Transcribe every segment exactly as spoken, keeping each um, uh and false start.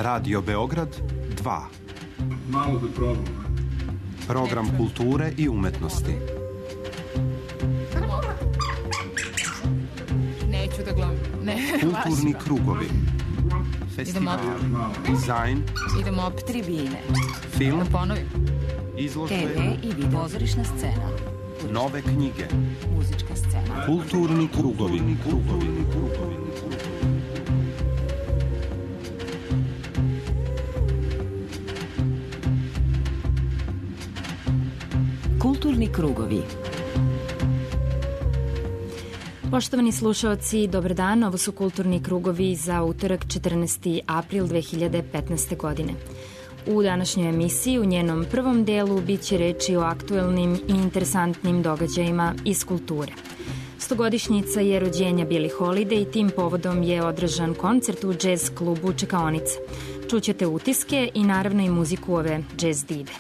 Radio Beograd dva. Malo da probam. Program kulture i umetnosti. Neću da gledam. Ne, kulturni krugovi. Festival. Dizajn. Idemo op tribine. Film. Da ponovim. Izložbe. te ve i video. Pozorišna scena. Nove knjige. Muzička scena. Kulturni krugovi. Kulturni krugovi. Kulturni krugovi. Poštovani slušaoci, dobar dan, ovo su Kulturni krugovi za utorak četrnaesti april dve hiljade petnaeste. godine. U današnjoj emisiji, u njenom prvom delu, bit će reči o aktuelnim i interesantnim događajima iz kulture. Stogodišnjica je rođenja Billie Holiday i tim povodom je održan koncert u džez klubu Čekaonica. Čućete utiske i naravno i muziku ove džez dive.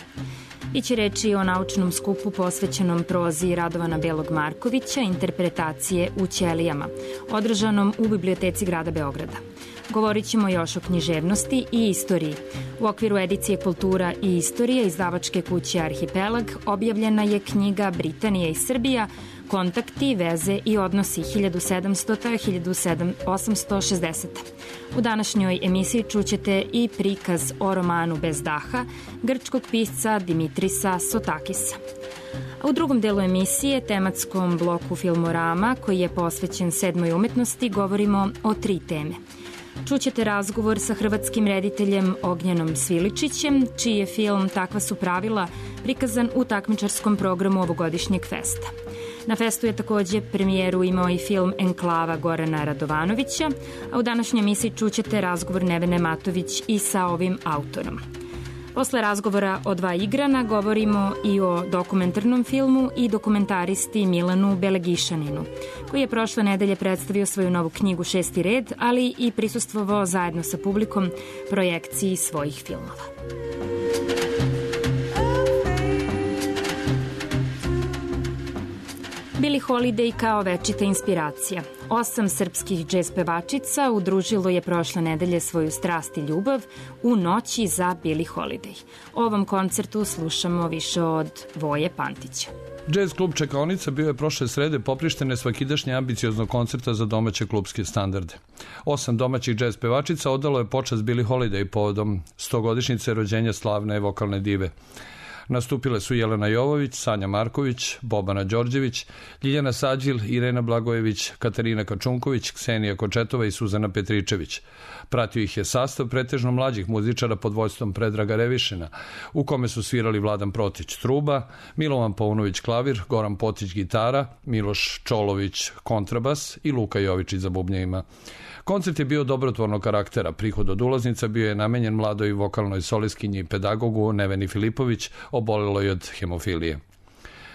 Biće reči o naučnom skupu posvećenom prozi Radovana Belog Markovića, interpretacije u ćelijama, održanom u Biblioteci grada Beograda. Govorit ćemo još o književnosti i istoriji. U okviru edicije Kultura i istorija izdavačke kuće Arhipelag objavljena je knjiga Britanija i Srbija, kontakti, veze i odnosi hiljadu sedamstota do hiljadu osamsto šezdesete. U današnjoj emisiji čućete i prikaz o romanu Bez daha grčkog pisca Dimitrisa Sotakisa. A u drugom delu emisije, tematskom bloku Filmorama, koji je posvećen sedmoj umetnosti, govorimo o tri teme. Čućete razgovor sa hrvatskim rediteljem Ognjenom Sviličićem, čiji je film Takva su pravila prikazan u takmičarskom programu ovogodišnjeg festa. Na festu je takođe premijeru imao i film Enklava Gorana Radovanovića, a u današnjoj emisiji čućete razgovor Nevene Matović i sa ovim autorom. Posle razgovora o dva igrana govorimo i o dokumentarnom filmu i dokumentaristi Milanu Belegišaninu, koji je prošle nedelje predstavio svoju novu knjigu Šesti red, ali i prisustvovao zajedno sa publikom projekciji svojih filmova. Billie Holiday kao večita inspiracija. Osam srpskih džez pevačica udružilo je prošle nedelje svoju strast i ljubav u noći za Billie Holiday. O ovom koncertu slušamo više od Voje Pantića. Džez klub Čekaonica bio je prošle srede poprištene svakidašnje ambicioznog koncerta za domaće klubske standarde. Osam domaćih džez pevačica odalo je počast Billie Holiday povodom stogodišnjice rođenja slavne vokalne dive. Nastupile su Jelena Jovović, Sanja Marković, Bobana Đorđević, Ljiljana Sađil, Irena Blagojević, Katarina Kačunković, Ksenija Kočetova i Suzana Petričević. Pratio ih je sastav pretežno mlađih muzičara pod vođstvom Predraga Revišina, u kome su svirali Vladan Protić truba, Milovan Paunović klavir, Goran Potić gitara, Miloš Čolović kontrabas i Luka Jovičić za bubnjevima. Koncert je bio dobrotvornog karaktera. Prihod od ulaznica bio je namenjen mladoj vokalnoj solistkinji i pedagogu Neveni Filipović, oboleloj od hemofilije.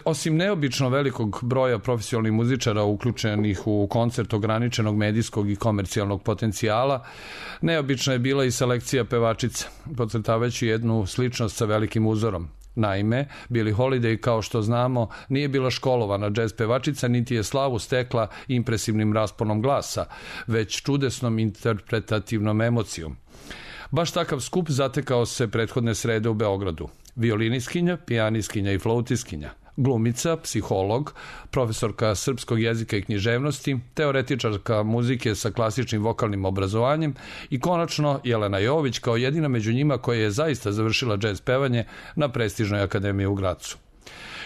Osim neobično velikog broja profesionalnih muzičara uključenih u koncert ograničenog medijskog i komercijalnog potencijala, neobična je bila i selekcija pevačica, podcrtavajući jednu sličnost sa velikim uzorom. Naime, Billie Holiday, kao što znamo, nije bila školovana džez pevačica, niti je slavu stekla impresivnim rasponom glasa, već čudesnom interpretativnom emocijom. Baš takav skup zatekao se prethodne srede u Beogradu. Violiniskinja, pijaniskinja i flautiskinja, glumica, psiholog, profesorka srpskog jezika i književnosti, teoretičarka muzike sa klasičnim vokalnim obrazovanjem i konačno Jelena Jovović kao jedina među njima koja je zaista završila džez pevanje na prestižnoj akademiji u Gracu.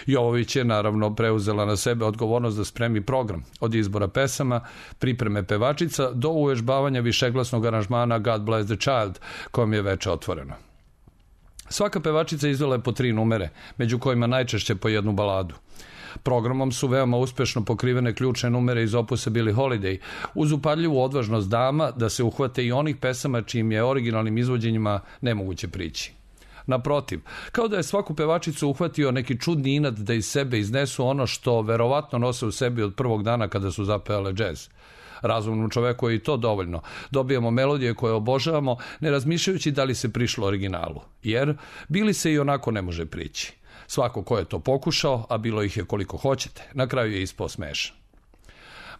Jovović je naravno preuzela na sebe odgovornost da spremi program, od izbora pesama, pripreme pevačica do uvežbavanja višeglasnog aranžmana God Bless the Child, kojom je veče otvoreno. Svaka pevačica izvela je po tri numere, među kojima najčešće po jednu baladu. Programom su veoma uspešno pokrivene ključne numere iz opusa Billie Holiday, uz upadljivu odvažnost dama da se uhvate i onih pesama čijim je originalnim izvođenjima nemoguće prići. Naprotiv, kao da je svaku pevačicu uhvatio neki čudni inat da iz sebe iznesu ono što verovatno nose u sebi od prvog dana kada su zapevale džez. Razumnom čoveku je i to dovoljno. Dobijamo melodije koje obožavamo, ne razmišljajući da li se prišlo originalu, jer Billie se i onako ne može prići. Svako ko je to pokušao, a bilo ih je koliko hoćete, na kraju je ispao smešan.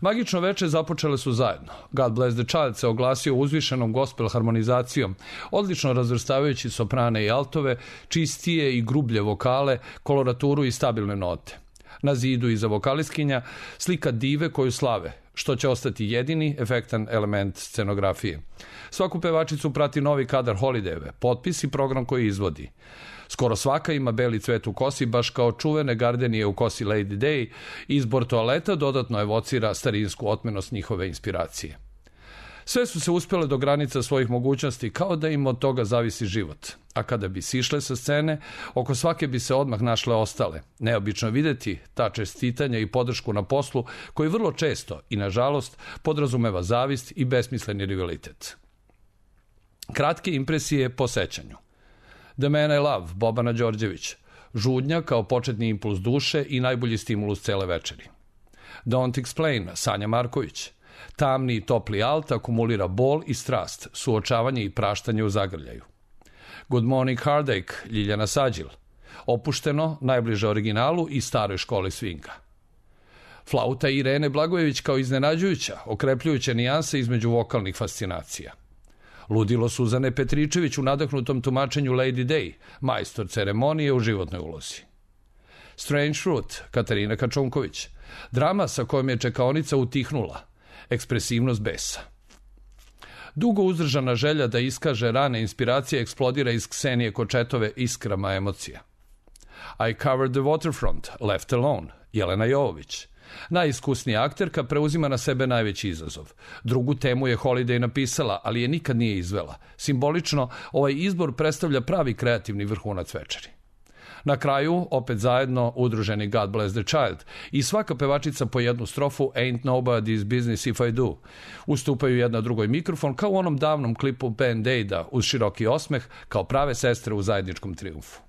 Magično veče započele su zajedno. God Bless the Child se oglasio uzvišenom gospel harmonizacijom, odlično razvrstavajući soprane i altove, čistije i grublje vokale, koloraturu i stabilne note. Na zidu iza vokalistkinja slika dive koju slave, što će ostati jedini efektan element scenografije. Svaku pevačicu prati novi kadar Holidayeve, potpis i program koji izvodi. Skoro svaka ima beli cvet u kosi, baš kao čuvene gardenije u kosi Lady Day. Izbor toaleta dodatno evocira starinsku otmenost njihove inspiracije. Sve su se uspjele do granica svojih mogućnosti, kao da im od toga zavisi život. A kada bi sišle sa scene, oko svake bi se odmah našle ostale. Neobično videti ta čestitanja i podršku na poslu, koji vrlo često i nažalost podrazumeva zavist i besmisleni rivalitet. Kratke impresije po sećanju. The Man I Love, Bobana Đorđević. Žudnja kao početni impuls duše i najbolji stimulus cele večeri. Don't Explain, Sanja Marković. Tamni i topli alt akumulira bol i strast, suočavanje i praštanje u zagrljaju. Good Morning Heartache, Ljiljana Sađil. Opušteno, najbliže originalu i staroj školi swinga. Flauta Irene Blagojević kao iznenađujuća, okrepljujuća nijanse između vokalnih fascinacija. Ludilo Suzane Petričević u nadahnutom tumačenju Lady Day, majstor ceremonije u životnoj ulozi. Strange Fruit, Katarina Kačunković. Drama sa kojom je čekaonica utihnula, ekspresivnost besa. Dugo uzdržana želja da iskaže rane inspiracije eksplodira iz Ksenije Kočetove iskrama emocija. I Covered the Waterfront, Left Alone, Jelena Jovović. Najiskusnija akterka preuzima na sebe najveći izazov. Drugu temu je Holiday napisala, ali je nikad nije izvela. Simbolično, ovaj izbor predstavlja pravi kreativni vrhunac večeri. Na kraju, opet zajedno, udruženi God Bless the Child i svaka pevačica po jednu strofu Ain't Nobody's Business If I Do. Ustupaju jedna drugoj mikrofon kao u onom davnom klipu Band-Aida uz široki osmeh kao prave sestre u zajedničkom trijumfu.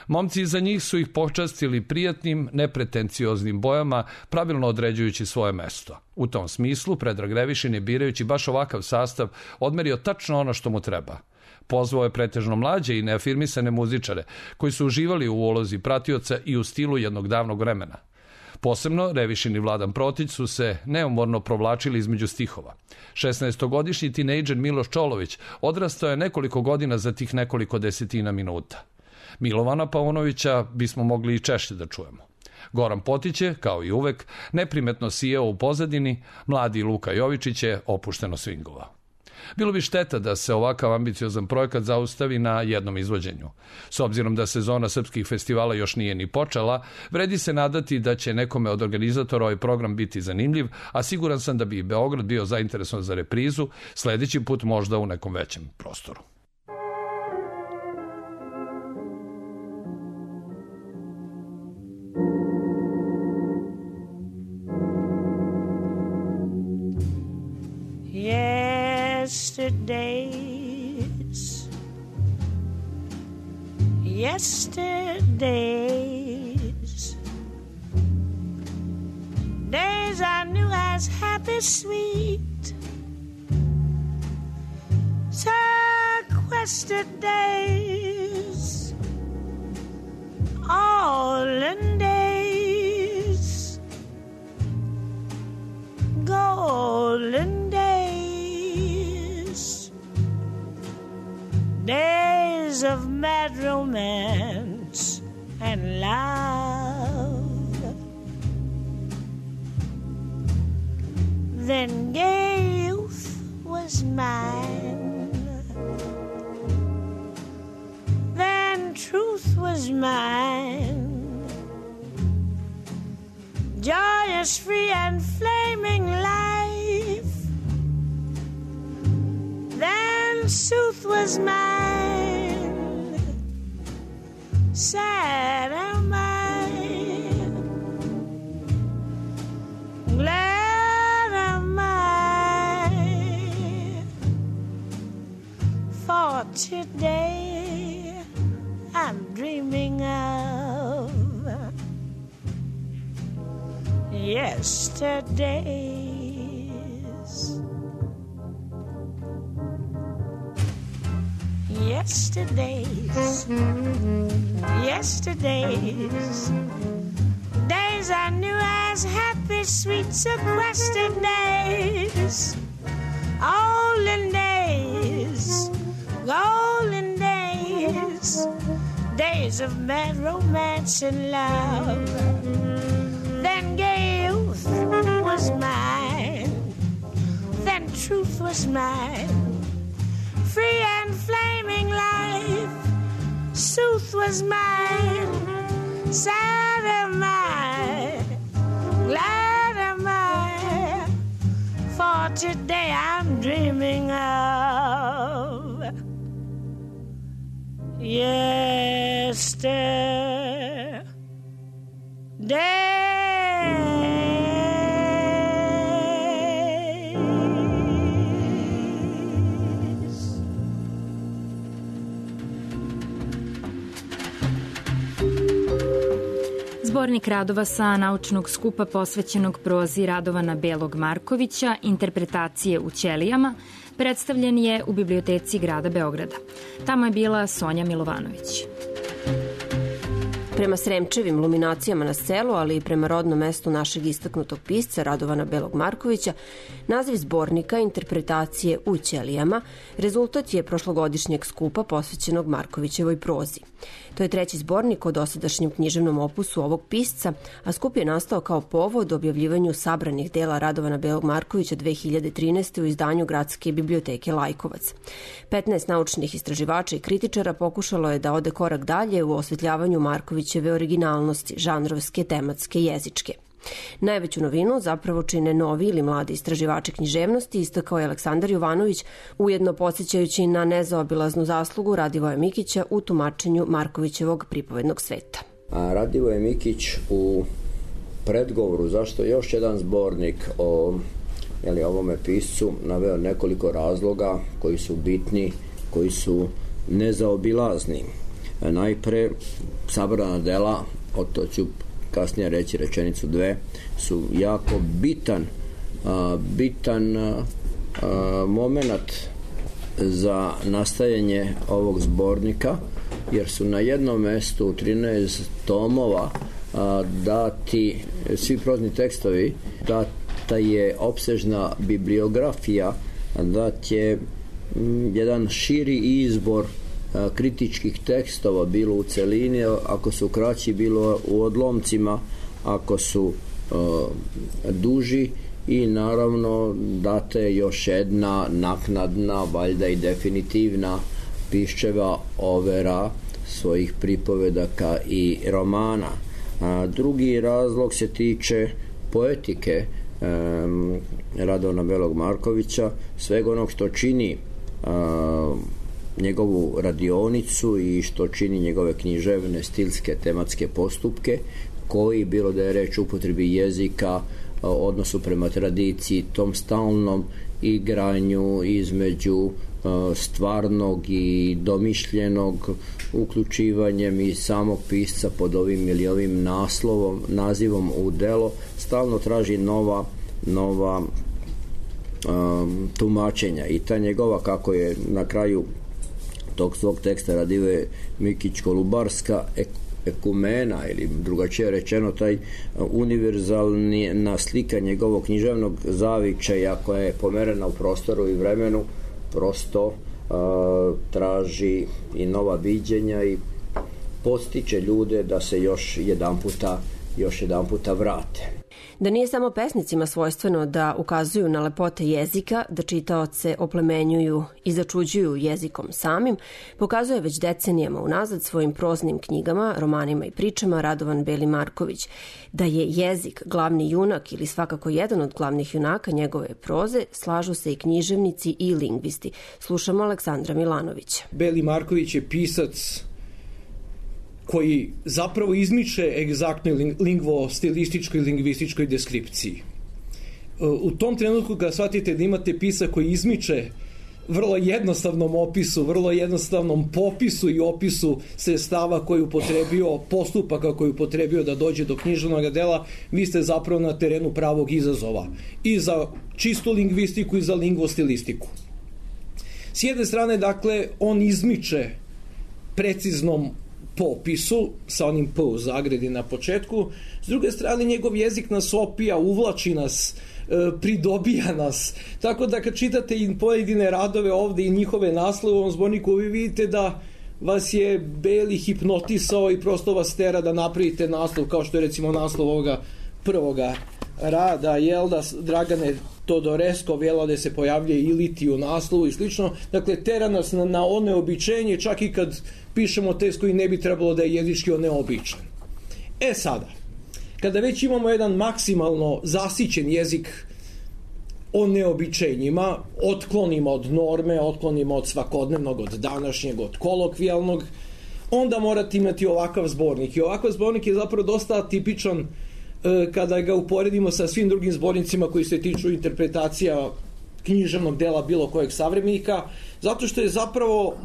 Momci iza njih su ih počastili prijatnim, nepretencioznim bojama, pravilno određujući svoje mesto. U tom smislu, Predrag Revišin je, birajući baš ovakav sastav, odmerio tačno ono što mu treba. Pozvao je pretežno mlađe i neafirmisane muzičare, koji su uživali u ulozi pratioca i u stilu jednog davnog vremena. Posebno, Revišin i Vladan Protić su se neumorno provlačili između stihova. šesnaestogodišnji tinejdžer Miloš Čolović odrastao je nekoliko godina za tih nekoliko desetina minuta. Milovana Paunovića bismo mogli i češće da čujemo. Goran Potić je, kao i uvek, neprimetno sijao u pozadini, mladi Luka Jovičić je opušteno swingovao. Bilo bi šteta da se ovakav ambiciozan projekat zaustavi na jednom izvođenju. S obzirom da sezona srpskih festivala još nije ni počela, vredi se nadati da će nekome od organizatora ovaj program biti zanimljiv, a siguran sam da bi i Beograd bio zainteresovan za reprizu, sledeći put možda u nekom većem prostoru. Yesterdays, yesterdays, days I knew as happy, sweet, sequestered days, all in days, golden days, days of mad romance and love. Then gay youth was mine, then truth was mine, joyous, free and flaming life. Then sooth was mine, sad am I, glad am I, for today I'm dreaming of yesterdays. Yesterdays, yesterdays, days days I knew as happy, sweet, sequestered days. Olden days, golden days, days of mad romance and love. Then gay youth was mine, then truth was mine. Free and flaming life, sooth was mine. Sad am I, glad am I, for today I'm dreaming of yesterday. Zbornik radova sa naučnog skupa posvećenog prozi Radovana Belog Markovića, Interpretacije u ćelijama, predstavljen je u biblioteci grada Beograda. Tamo je bila Sonja Milovanović. Prema Sremčevim luminacijama na selu, ali i prema rodnom mestu našeg istaknutog pisca Radovana Belog Markovića, naziv zbornika Interpretacije u ćelijama rezultat je prošlogodišnjeg skupa posvećenog Markovićevoj prozi. To je treći zbornik o dosadašnjem književnom opusu ovog pisca, a skup je nastao kao povod objavljivanju sabranih dela Radovana Belog Markovića dve hiljade trinaeste. u izdanju Gradske biblioteke Lajkovac. petnaest naučnih istraživača i kritičara pokušalo je da ode korak dalje u osvetljavanju Markovićeve originalnosti, žanrovske, tematske, jezičke. Najveću novinu zapravo čine novi ili mladi istraživači književnosti, istakao je Aleksandar Jovanović, ujedno podsjećajući na nezaobilaznu zaslugu Radivoja Mikića u tumačenju Markovićevog pripovednog sveta. A Radivoje Mikić u predgovoru zašto još jedan zbornik o jeli, ovome piscu naveo nekoliko razloga koji su bitni, koji su nezaobilazni. Najpre, sabrana dela, o to ću kasnije reći rečenicu dve, su jako bitan a, bitan a, a, moment za nastajanje ovog zbornika, jer su na jednom mestu u trinaest tomova a, dati svi prozni tekstovi, data je opsežna bibliografija, dat je m, jedan širi izbor kritičkih tekstova, bilo u celini, ako su kraći, bilo u odlomcima, ako su uh, duži, i naravno data je još jedna naknadna, valjda i definitivna piščeva overa svojih pripovedaka i romana. A drugi razlog se tiče poetike um, Radovana Belog Markovića, svega onog što čini uh, njegovu radionicu i što čini njegove književne, stilske, tematske postupke, koji, bilo da je reč o upotrebi jezika, odnosu prema tradiciji, tom stalnom igranju između stvarnog i domišljenog, uključivanjem i samog pisca pod ovim ili ovim naslovom, nazivom u delo, stalno traži nova, nova um, tumačenja. I ta njegova, kako je na kraju tog svog teksta Radivoje Mikić Kolubarska ekumena, ili drugačije rečeno taj univerzalna slika njegovog književnog zavičaja koja je pomerena u prostoru i vremenu, prosto uh, traži i nova viđenja i podstiče ljude da se još jedan puta, još jedan puta vrate. Da nije samo pesnicima svojstveno da ukazuju na lepote jezika, da čitaoce oplemenjuju i začuđuju jezikom samim, pokazuje već decenijama unazad svojim proznim knjigama, romanima i pričama Radovan Beli Marković. Da je jezik glavni junak ili svakako jedan od glavnih junaka njegove proze, slažu se i književnici i lingvisti. Slušamo Aleksandra Milanovića. Beli Marković je pisac koji zapravo izmiče egzaktnoj lingvo-stilističkoj i lingvističkoj deskripciji. U tom trenutku kada shvatite da imate pisa koji izmiče vrlo jednostavnom opisu, vrlo jednostavnom popisu i opisu sredstava koji je upotrebio, postupaka koji je upotrebio da dođe do književnog dela, vi ste zapravo na terenu pravog izazova i za čistu lingvistiku i za lingvo-stilistiku. S jedne strane, dakle, on izmiče preciznom popisu, sa onim P u zagradi na početku. S druge strane, njegov jezik nas opija, uvlači nas, pridobija nas. Tako da kad čitate i pojedine radove ovde i njihove naslove u ovom zborniku, vi vidite da vas je Beli hipnotisao i prosto vas tera da napravite naslov, kao što je recimo naslov ovoga prvoga rada, jel da, Dragane Todoreskov, jel da se pojavljuje i liti u naslovu i slično. Dakle, tera nas na, na oneobičenje, čak i kad pišemo tekst koji ne bi trebalo da je jezički oneobičan. E sada, kada već imamo jedan maksimalno zasićen jezik o neobičenjima, otklonimo od norme, otklonimo od svakodnevnog, od današnjeg, od kolokvijalnog, onda morate imati ovakav zbornik. I ovakav zbornik je zapravo dosta tipičan kada ga uporedimo sa svim drugim zbornicima koji se tiču interpretacija književnog dela bilo kojeg savremenika, zato što je zapravo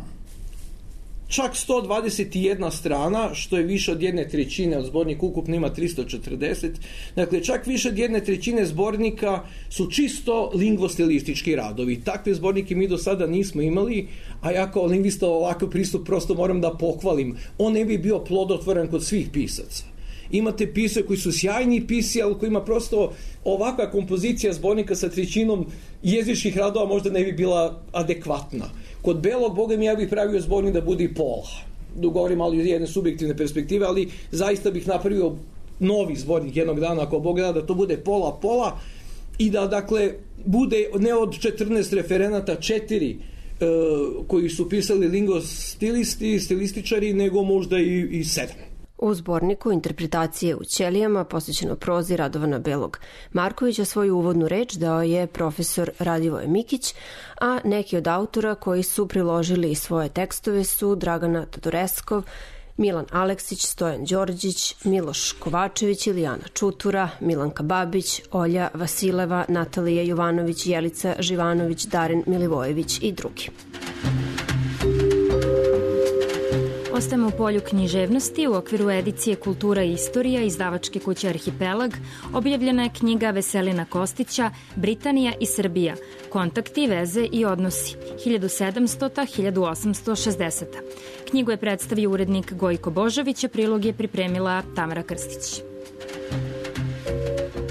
čak sto dvadeset jedna strana, što je više od jedne trećine, od zbornika ukupno ima tristo četrdeset, dakle čak više od jedne trećine zbornika su čisto lingvostilistički radovi. Takve zbornike mi do sada nismo imali, a ja kao lingvista ovakav pristup prosto moram da pohvalim. On ne bi bio plodotvoran kod svih pisaca. Imate pisce koji su sjajni pisci, ali koji ima prosto ovakva kompozicija zbornika sa trećinom jezičkih radova možda ne bi bila adekvatna. Kod Belog, boga mi, ja bih pravio zbornik da bude i pola. Da govorim ali iz jedne subjektivne perspektive, ali zaista bih napravio novi zbornik jednog dana, ako Bog da, da to bude pola-pola i da, dakle, bude ne od četrnaest referenata, četiri e, koji su pisali lingvostilisti, stilističari, nego možda i, i sedam. U zborniku Interpretacije u ćelijama, posvećeno prozi Radovana Belog Markovića, svoju uvodnu reč dao je profesor Radivoje Mikić, a neki od autora koji su priložili svoje tekstove su Dragana Todoreskov, Milan Aleksić, Stojan Đorđić, Miloš Kovačević, Ilijana Čutura, Milanka Babić, Olja Vasileva, Natalija Jovanović, Jelica Živanović, Darin Milivojević i drugi. Ostajemo u polju književnosti. U okviru edicije Kultura i istorija izdavačke kuće Arhipelag objavljena je knjiga Veselina Kostića Britanija i Srbija. Kontakti, veze i odnosi hiljadu sedamstota do hiljadu osamsto šezdesete. Knjigu je predstavio urednik Gojko Božović, a prilog je pripremila Tamara Krstić.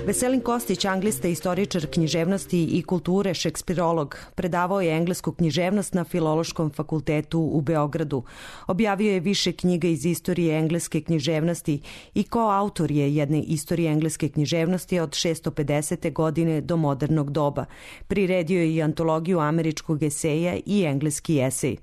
Veselin Kostić, anglista, istoričar književnosti i kulture, šekspirolog, predavao je englesku književnost na Filološkom fakultetu u Beogradu. Objavio je više knjiga iz istorije engleske književnosti i koautor je jedne istorije engleske književnosti od šessto pedesete godine do modernog doba. Priredio je i antologiju američkog eseja i engleski esej.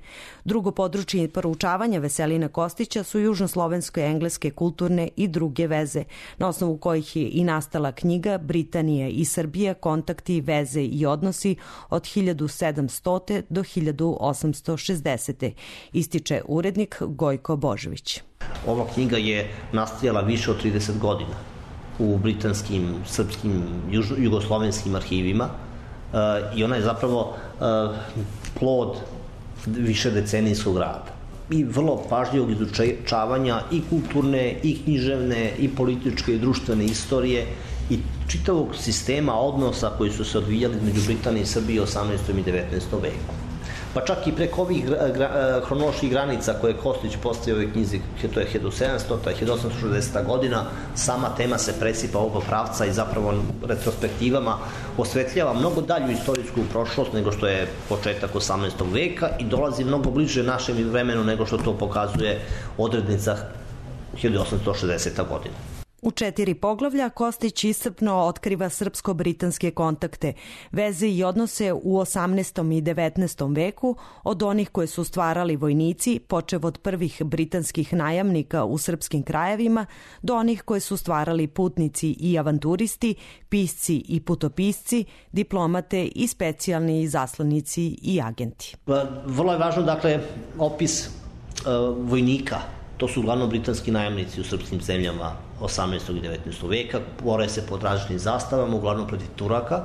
Drugo područje proučavanja Veselina Kostića su južnoslovenske engleske kulturne i druge veze, na osnovu kojih je i nastala knjiga knjiga Britanija i Srbija, kontakti, veze i odnosi od hiljadu sedamstote do hiljadu osamsto šezdesete. Ističe urednik Gojko Božović. Ova knjiga je nastajala više od trideset godina u britanskim, srpskim, jugoslovenskim arhivima i ona je zapravo plod višedecenijskog rada i vrlo pažljivog izučavanja i kulturne, i književne, i političke, i društvene istorije i čitavog sistema odnosa koji su se odvijali između Britanije i Srbije u osamnaestom i devetnaestom veku. Pa čak i preko ovih hronoloških granica koje Kostić postavio u ovoj knjizi, to je hiljadu sedamstota do hiljadu osamsto šezdesete godina, sama tema se presipa ovog pravca i zapravo retrospektivama osvetljava mnogo dalju istorijsku prošlost nego što je početak osamnaestog veka i dolazi mnogo bliže našem vremenu nego što to pokazuje odrednica hiljadu osamsto šezdesete godina. U četiri poglavlja Kostić iscrpno otkriva srpsko-britanske kontakte, veze i odnose u osamnaestom i devetnaestom veku, od onih koje su stvarali vojnici, počev od prvih britanskih najamnika u srpskim krajevima, do onih koje su stvarali putnici i avanturisti, pisci i putopisci, diplomate i specijalni zaslanici i agenti. Vrlo je važno, dakle, opis uh, vojnika. To su uglavnom britanski najamnici u srpskim zemljama osamnaestog i devetnaestog veka, bore se pod različitim zastavama, uglavnom protiv Turaka.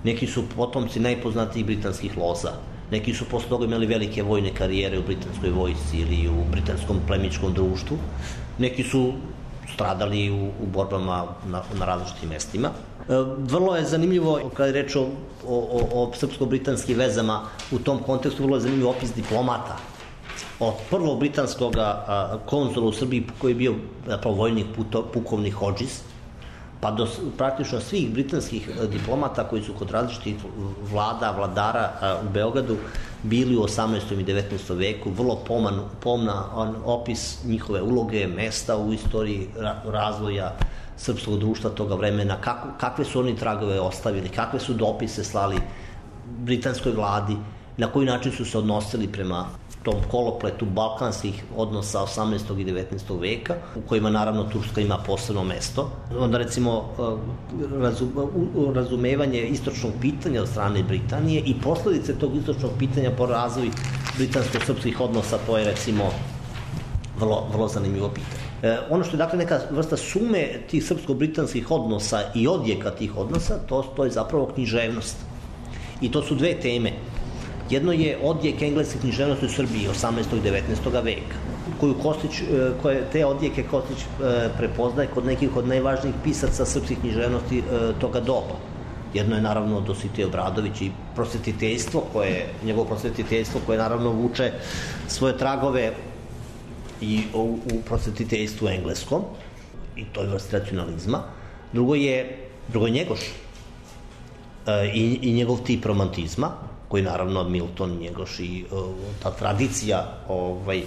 Neki su potomci najpoznatijih britanskih loza. Neki su posle toga imali velike vojne karijere u britanskoj vojsci ili u britanskom plemičkom društvu. Neki su stradali u, u borbama na, na različitim mestima. E, vrlo je zanimljivo, kada je reč o, o, o srpsko-britanskim vezama, u tom kontekstu vrlo je zanimljiv opis diplomata. od prvog britanskog konzula u Srbiji koji je bio zapravo vojnik pukovnik Hodges, pa do praktično svih britanskih diplomata koji su kod različitih vlada, vladara u Beogradu bili u osamnaestom i devetnaestom veku, vrlo poman, pomna opis njihove uloge, mesta u istoriji razvoja srpskog društva toga vremena, kako, kakve su oni tragove ostavili, kakve su dopise slali britanskoj vladi, na koji način su se odnosili prema tom kolopletu balkanskih odnosa osamnaestog i devetnaestog veka, u kojima naravno Turska ima posebno mesto. Onda recimo razumevanje istočnog pitanja od strane Britanije i posledice tog istočnog pitanja po razvoju britansko-srpskih odnosa, to je recimo vrlo, vrlo zanimljivo pitanje. E, ono što je dakle neka vrsta sume tih srpsko-britanskih odnosa i odjeka tih odnosa, to, to je zapravo književnost. I to su dve teme. Jedno je odjek engleske književnosti u Srbiji osamnaestog i devetnaestog veka, koju Kostić, koje te odjeke Kostić prepoznaje kod nekih od najvažnijih pisaca srpskih književnosti toga doba. Jedno je naravno Dositej Obradović i prosvetiteljstvo, koje, njegovo prosvetiteljstvo koje naravno vuče svoje tragove i u, u prosvetiteljstvu engleskom, i to je vrst racionalizma. Drugo je, drugo je Njegoš i, i njegov tip romantizma, koji naravno Milton, Njegoš i uh, ta tradicija ovaj,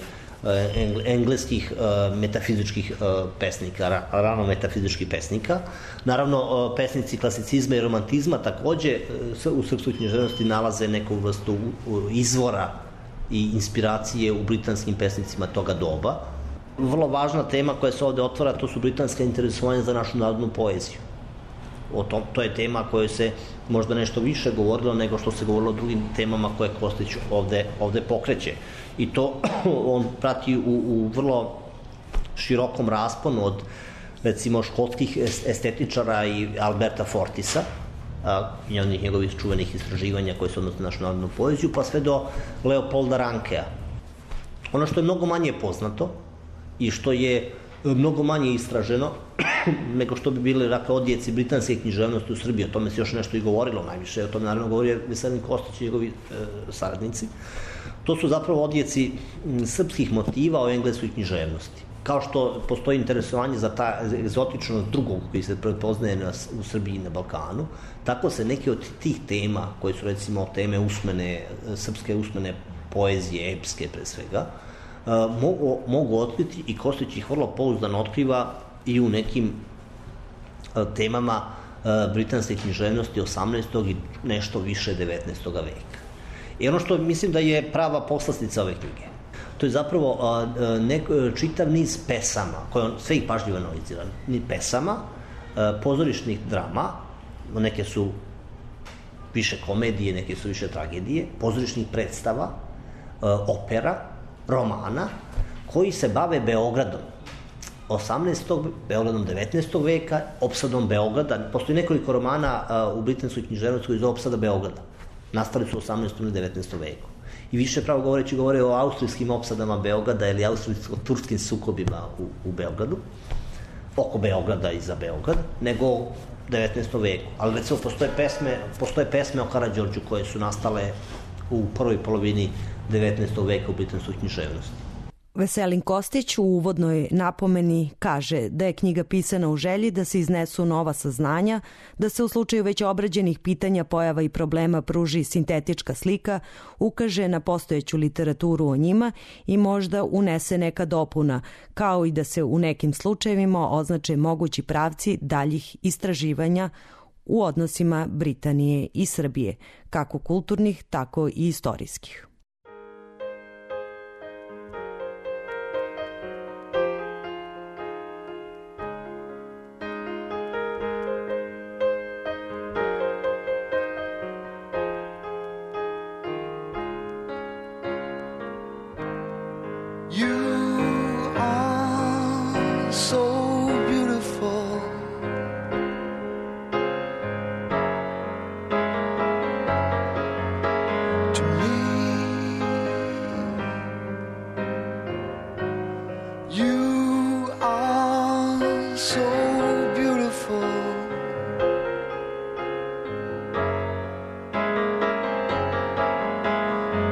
engleskih uh, metafizičkih uh, pesnika, ra, rano metafizičkih pesnika. Naravno, uh, pesnici klasicizma i romantizma takođe uh, u srpskoj književnosti nalaze neku vrstu uh, izvora i inspiracije u britanskim pesnicima toga doba. Vrlo važna tema koja se ovde otvara, to su britanska interesovanja za našu narodnu poeziju. O tom, to je tema kojoj se možda nešto više govorilo nego što se govorilo o drugim temama koje Kostić ovde, ovde pokreće. I to on prati u, u vrlo širokom rasponu od recimo škotskih estetičara i Alberta Fortisa, a, i onih njegovih čuvenih istraživanja koje se odnose na našu narodnu poeziju, pa sve do Leopolda Rankea. Ono što je mnogo manje poznato i što je mnogo manje istraženo nego što bi bili dakle, odjeci britanske književnosti u Srbiji. O tome se još nešto i govorilo najviše. O tome naravno govorio Veselin Kostić i njegovi e, saradnici. To su zapravo odjeci srpskih motiva o engleskoj književnosti. Kao što postoji interesovanje za ta egzotičnost drugog koji se prepoznaje na, u Srbiji i na Balkanu, tako se neke od tih tema, koje su recimo teme usmene, srpske usmene poezije, epske pre svega, Mogu, mogu otkriti i Kostić ih vrlo pouzdano otkriva i u nekim temama britanske književnosti osamnaestog i nešto više devetnaestog veka. I ono što mislim da je prava poslastica ove knjige, to je zapravo nek, čitav niz pesama, koje on sve ih pažljivo analizira, ni pesama, pozorišnih drama, neke su više komedije, neke su više tragedije, pozorišnih predstava, opera, romana koji se bave Beogradom osamnaestog. Beogradom devetnaestog veka, opsadom Beograda. Postoji nekoliko romana uh, u britanskoj književnosti koji zove Opsada Beograda. Nastali su u osamnaestom i devetnaestom veku. I više pravo govoreći govore o austrijskim opsadama Beograda ili austrijsko-turskim sukobima u, u Beogradu, oko Beograda i za Beograd, nego u devetnaestom veku. Ali recimo postoje pesme, postoje pesme o Karađorđu koje su nastale u prvoj polovini devetnaestog veka u britanskoj književnosti. Veselin Kostić u uvodnoj napomeni kaže da je knjiga pisana u želji da se iznesu nova saznanja, da se u slučaju već obrađenih pitanja, pojava i problema pruži sintetička slika, ukaže na postojeću literaturu o njima i možda unese neka dopuna, kao i da se u nekim slučajevima označe mogući pravci daljih istraživanja u odnosima Britanije i Srbije, kako kulturnih, tako i istorijskih.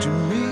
To me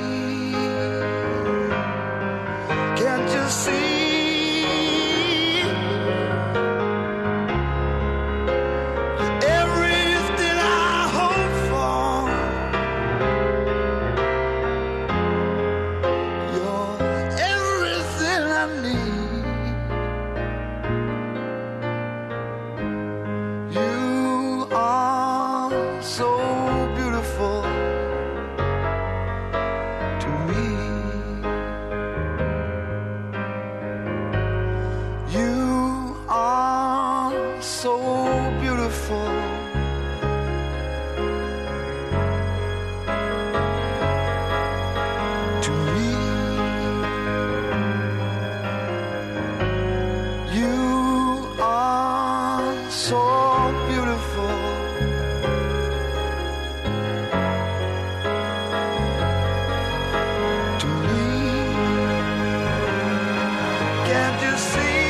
can't you see?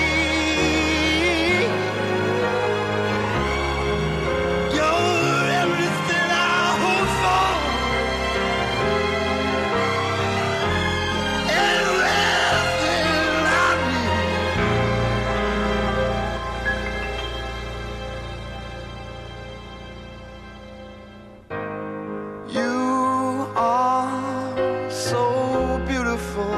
You're everything I hope for, everything I need. You are so beautiful.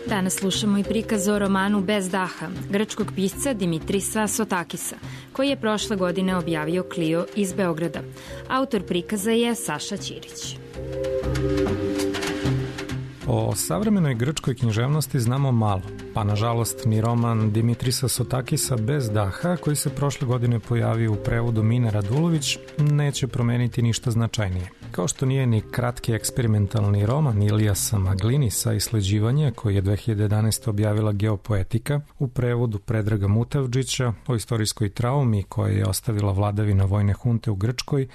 Danas slušamo i prikaz o romanu Bez daha, grčkog pisca Dimitrisa Sotakisa, koji je prošle godine objavio Clio iz Beograda. Autor prikaza je Saša Ćirić. O savremenoj grčkoj književnosti znamo malo, pa nažalost ni roman Dimitrisa Sotakisa Bez daha, koji se prošle godine pojavio u prevodu Mine Radulović, neće promeniti ništa značajnije. Kao što nije ni kratki eksperimentalni roman Ilijasa Maglinisa Isleđivanje, koji je dve hiljade jedanaeste. objavila Geopoetika u prevodu Predraga Mutavdžića o istorijskoj traumi koja je ostavila vladavina vojne hunte u Grčkoj,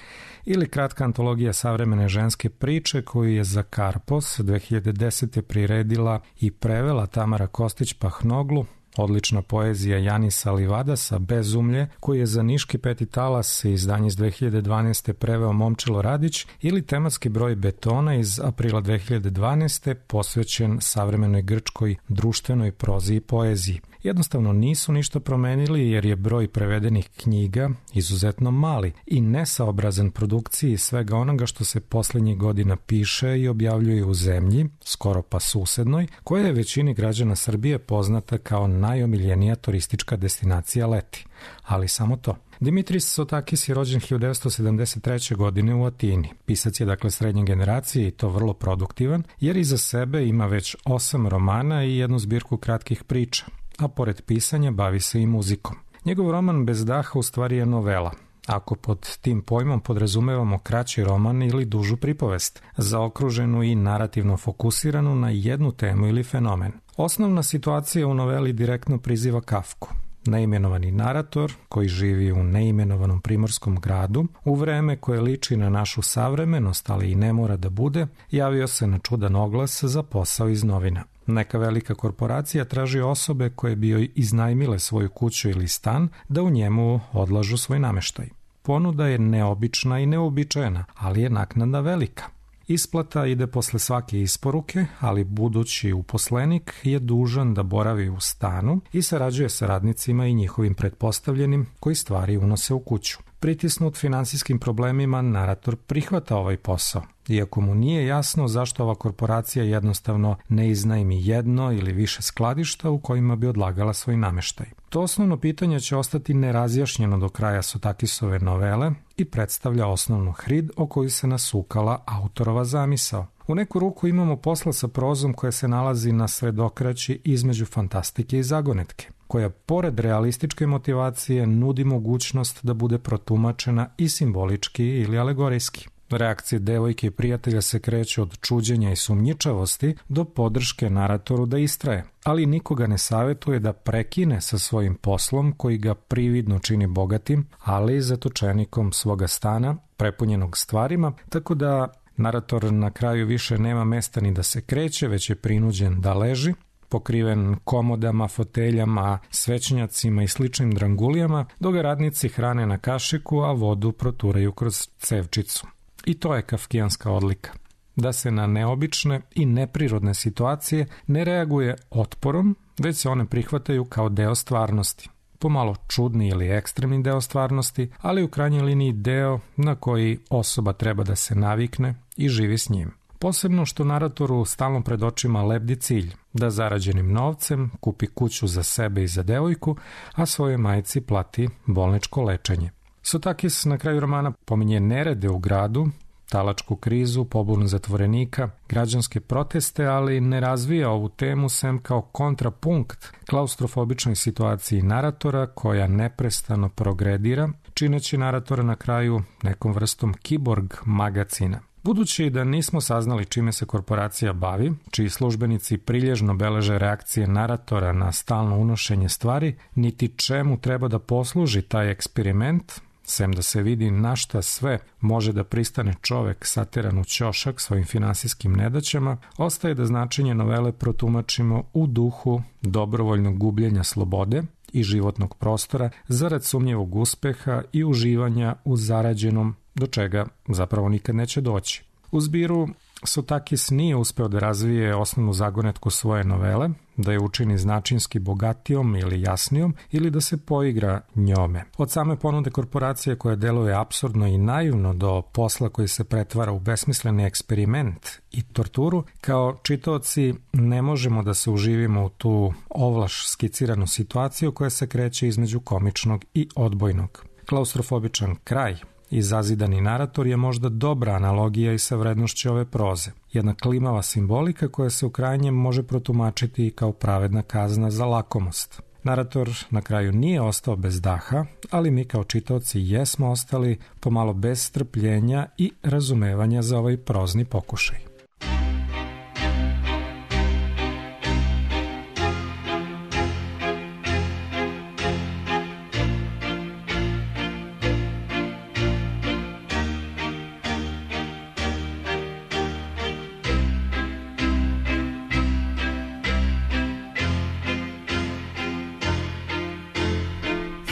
ili kratka antologija savremene ženske priče koju je za Karpos dve hiljade desete. priredila i prevela Tamara Kostić-Pahnoglu, odlična poezija Janisa Livadasa Bezumlje, koji je za niški Peti talas izdanje iz dve hiljade dvanaeste. preveo Momčilo Radić, ili tematski broj Betona iz aprila dve hiljade dvanaeste. posvećen savremenoj grčkoj društvenoj prozi i poeziji. Jednostavno nisu ništa promenili jer je broj prevedenih knjiga izuzetno mali i nesaobrazan produkciji svega onoga što se poslednjih godina piše i objavljuje u zemlji, skoro pa susednoj, koja je većini građana Srbije poznata kao najomiljenija turistička destinacija leti. Ali samo to. Dimitris Sotakis je rođen hiljadu devetsto sedamdeset treće. godine u Atini. Pisac je dakle srednje generacije i to vrlo produktivan, jer iza sebe ima već osam romana i jednu zbirku kratkih priča, a pored pisanja bavi se i muzikom. Njegov roman Bez daha u stvari je novela, ako pod tim pojmom podrazumevamo kraći roman ili dužu pripovest, zaokruženu i narativno fokusiranu na jednu temu ili fenomen. Osnovna situacija u noveli direktno priziva Kafku. Neimenovani narator, koji živi u neimenovanom primorskom gradu, u vreme koje liči na našu savremenost, ali i ne mora da bude, javio se na čudan oglas za posao iz novina. Neka velika korporacija traži osobe koje bi joj iznajmile svoju kuću ili stan da u njemu odlažu svoj nameštaj. Ponuda je neobična i neobičajena, ali je naknada velika. Isplata ide posle svake isporuke, ali budući uposlenik je dužan da boravi u stanu i sarađuje sa radnicima i njihovim pretpostavljenim koji stvari unose u kuću. Pritisnut finansijskim problemima, narator prihvata ovaj posao, iako mu nije jasno zašto ova korporacija jednostavno ne iznajmi jedno ili više skladišta u kojima bi odlagala svoj nameštaj. To osnovno pitanje će ostati nerazjašnjeno do kraja Sotakisove novele i predstavlja osnovnu hrid o koju se nasukala autorova zamisao. U neku ruku imamo posla sa prozom koja se nalazi na sredokraći između fantastike i zagonetke, koja pored realističke motivacije nudi mogućnost da bude protumačena i simbolički ili alegorijski. Reakcije devojke i prijatelja se kreću od čuđenja i sumnjičavosti do podrške naratoru da istraje, ali nikoga ne savetuje da prekine sa svojim poslom koji ga prividno čini bogatim, ali i zatočenikom svoga stana, prepunjenog stvarima, tako da narator na kraju više nema mesta ni da se kreće, već je prinuđen da leži, pokriven komodama, foteljama, svećnjacima i sličnim drangulijama, dok ga radnici hrane na kašiku, a vodu proturaju kroz cevčicu. I to je kafkijanska odlika. Da se na neobične i neprirodne situacije ne reaguje otporom, već se one prihvataju kao deo stvarnosti. Pomalo čudni ili ekstremni deo stvarnosti, ali u krajnjoj liniji deo na koji osoba treba da se navikne i živi s njim. Posebno što naratoru stalno pred očima lebdi cilj, da zarađenim novcem kupi kuću za sebe i za devojku, a svojoj majci plati bolničko lečenje. Sotakis na kraju romana pominje nerede u gradu, talačku krizu, pobunu zatvorenika, građanske proteste, ali ne razvija ovu temu sem kao kontrapunkt klaustrofobičnoj situaciji naratora koja neprestano progredira, čineći naratora na kraju nekom vrstom kiborg magacina. Budući da nismo saznali čime se korporacija bavi, čiji službenici prilježno beleže reakcije naratora na stalno unošenje stvari, niti čemu treba da posluži taj eksperiment, sem da se vidi na šta sve može da pristane čovek sateran u ćošak svojim finansijskim nedaćama, ostaje da značenje novele protumačimo u duhu dobrovoljnog gubljenja slobode i životnog prostora zarad sumnjivog uspeha i uživanja u zarađenom, do čega zapravo nikad neće doći. U zbiru Sotakis nije uspeo da razvije osnovnu zagonetku svoje novele, da je učini značinski bogatijom ili jasnijom ili da se poigra njome. Od same ponude korporacije koja deluje apsurdno i naivno do posla koji se pretvara u besmisleni eksperiment i torturu, kao čitaoci ne možemo da se uživimo u tu ovlaš skiciranu situaciju koja se kreće između komičnog i odbojnog. Klaustrofobičan kraj i zazidani narator je možda dobra analogija i sa vrednošću ove proze. Jedna klimava simbolika koja se u krajnjem može protumačiti i kao pravedna kazna za lakomost. Narator na kraju nije ostao bez daha, ali mi kao čitaoci jesmo ostali pomalo bez strpljenja i razumevanja za ovaj prozni pokušaj.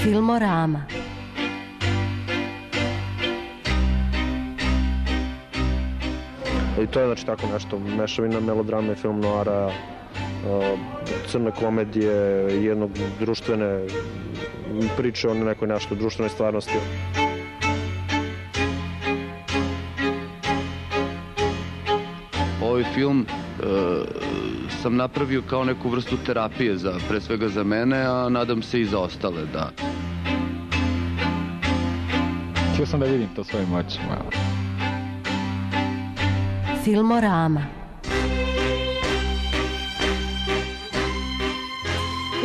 Filmorama. I to je znači tako nešto, mešavina melodrame, film noara, crne komedije, jednog društvene priče o nekoj nešto društvenoj stvarnosti. Ovaj film e, sam napravio kao neku vrstu terapije, za, pre svega za mene, a nadam se i za ostale, da. Htio sam da vidim to svojim očima. Filmorama.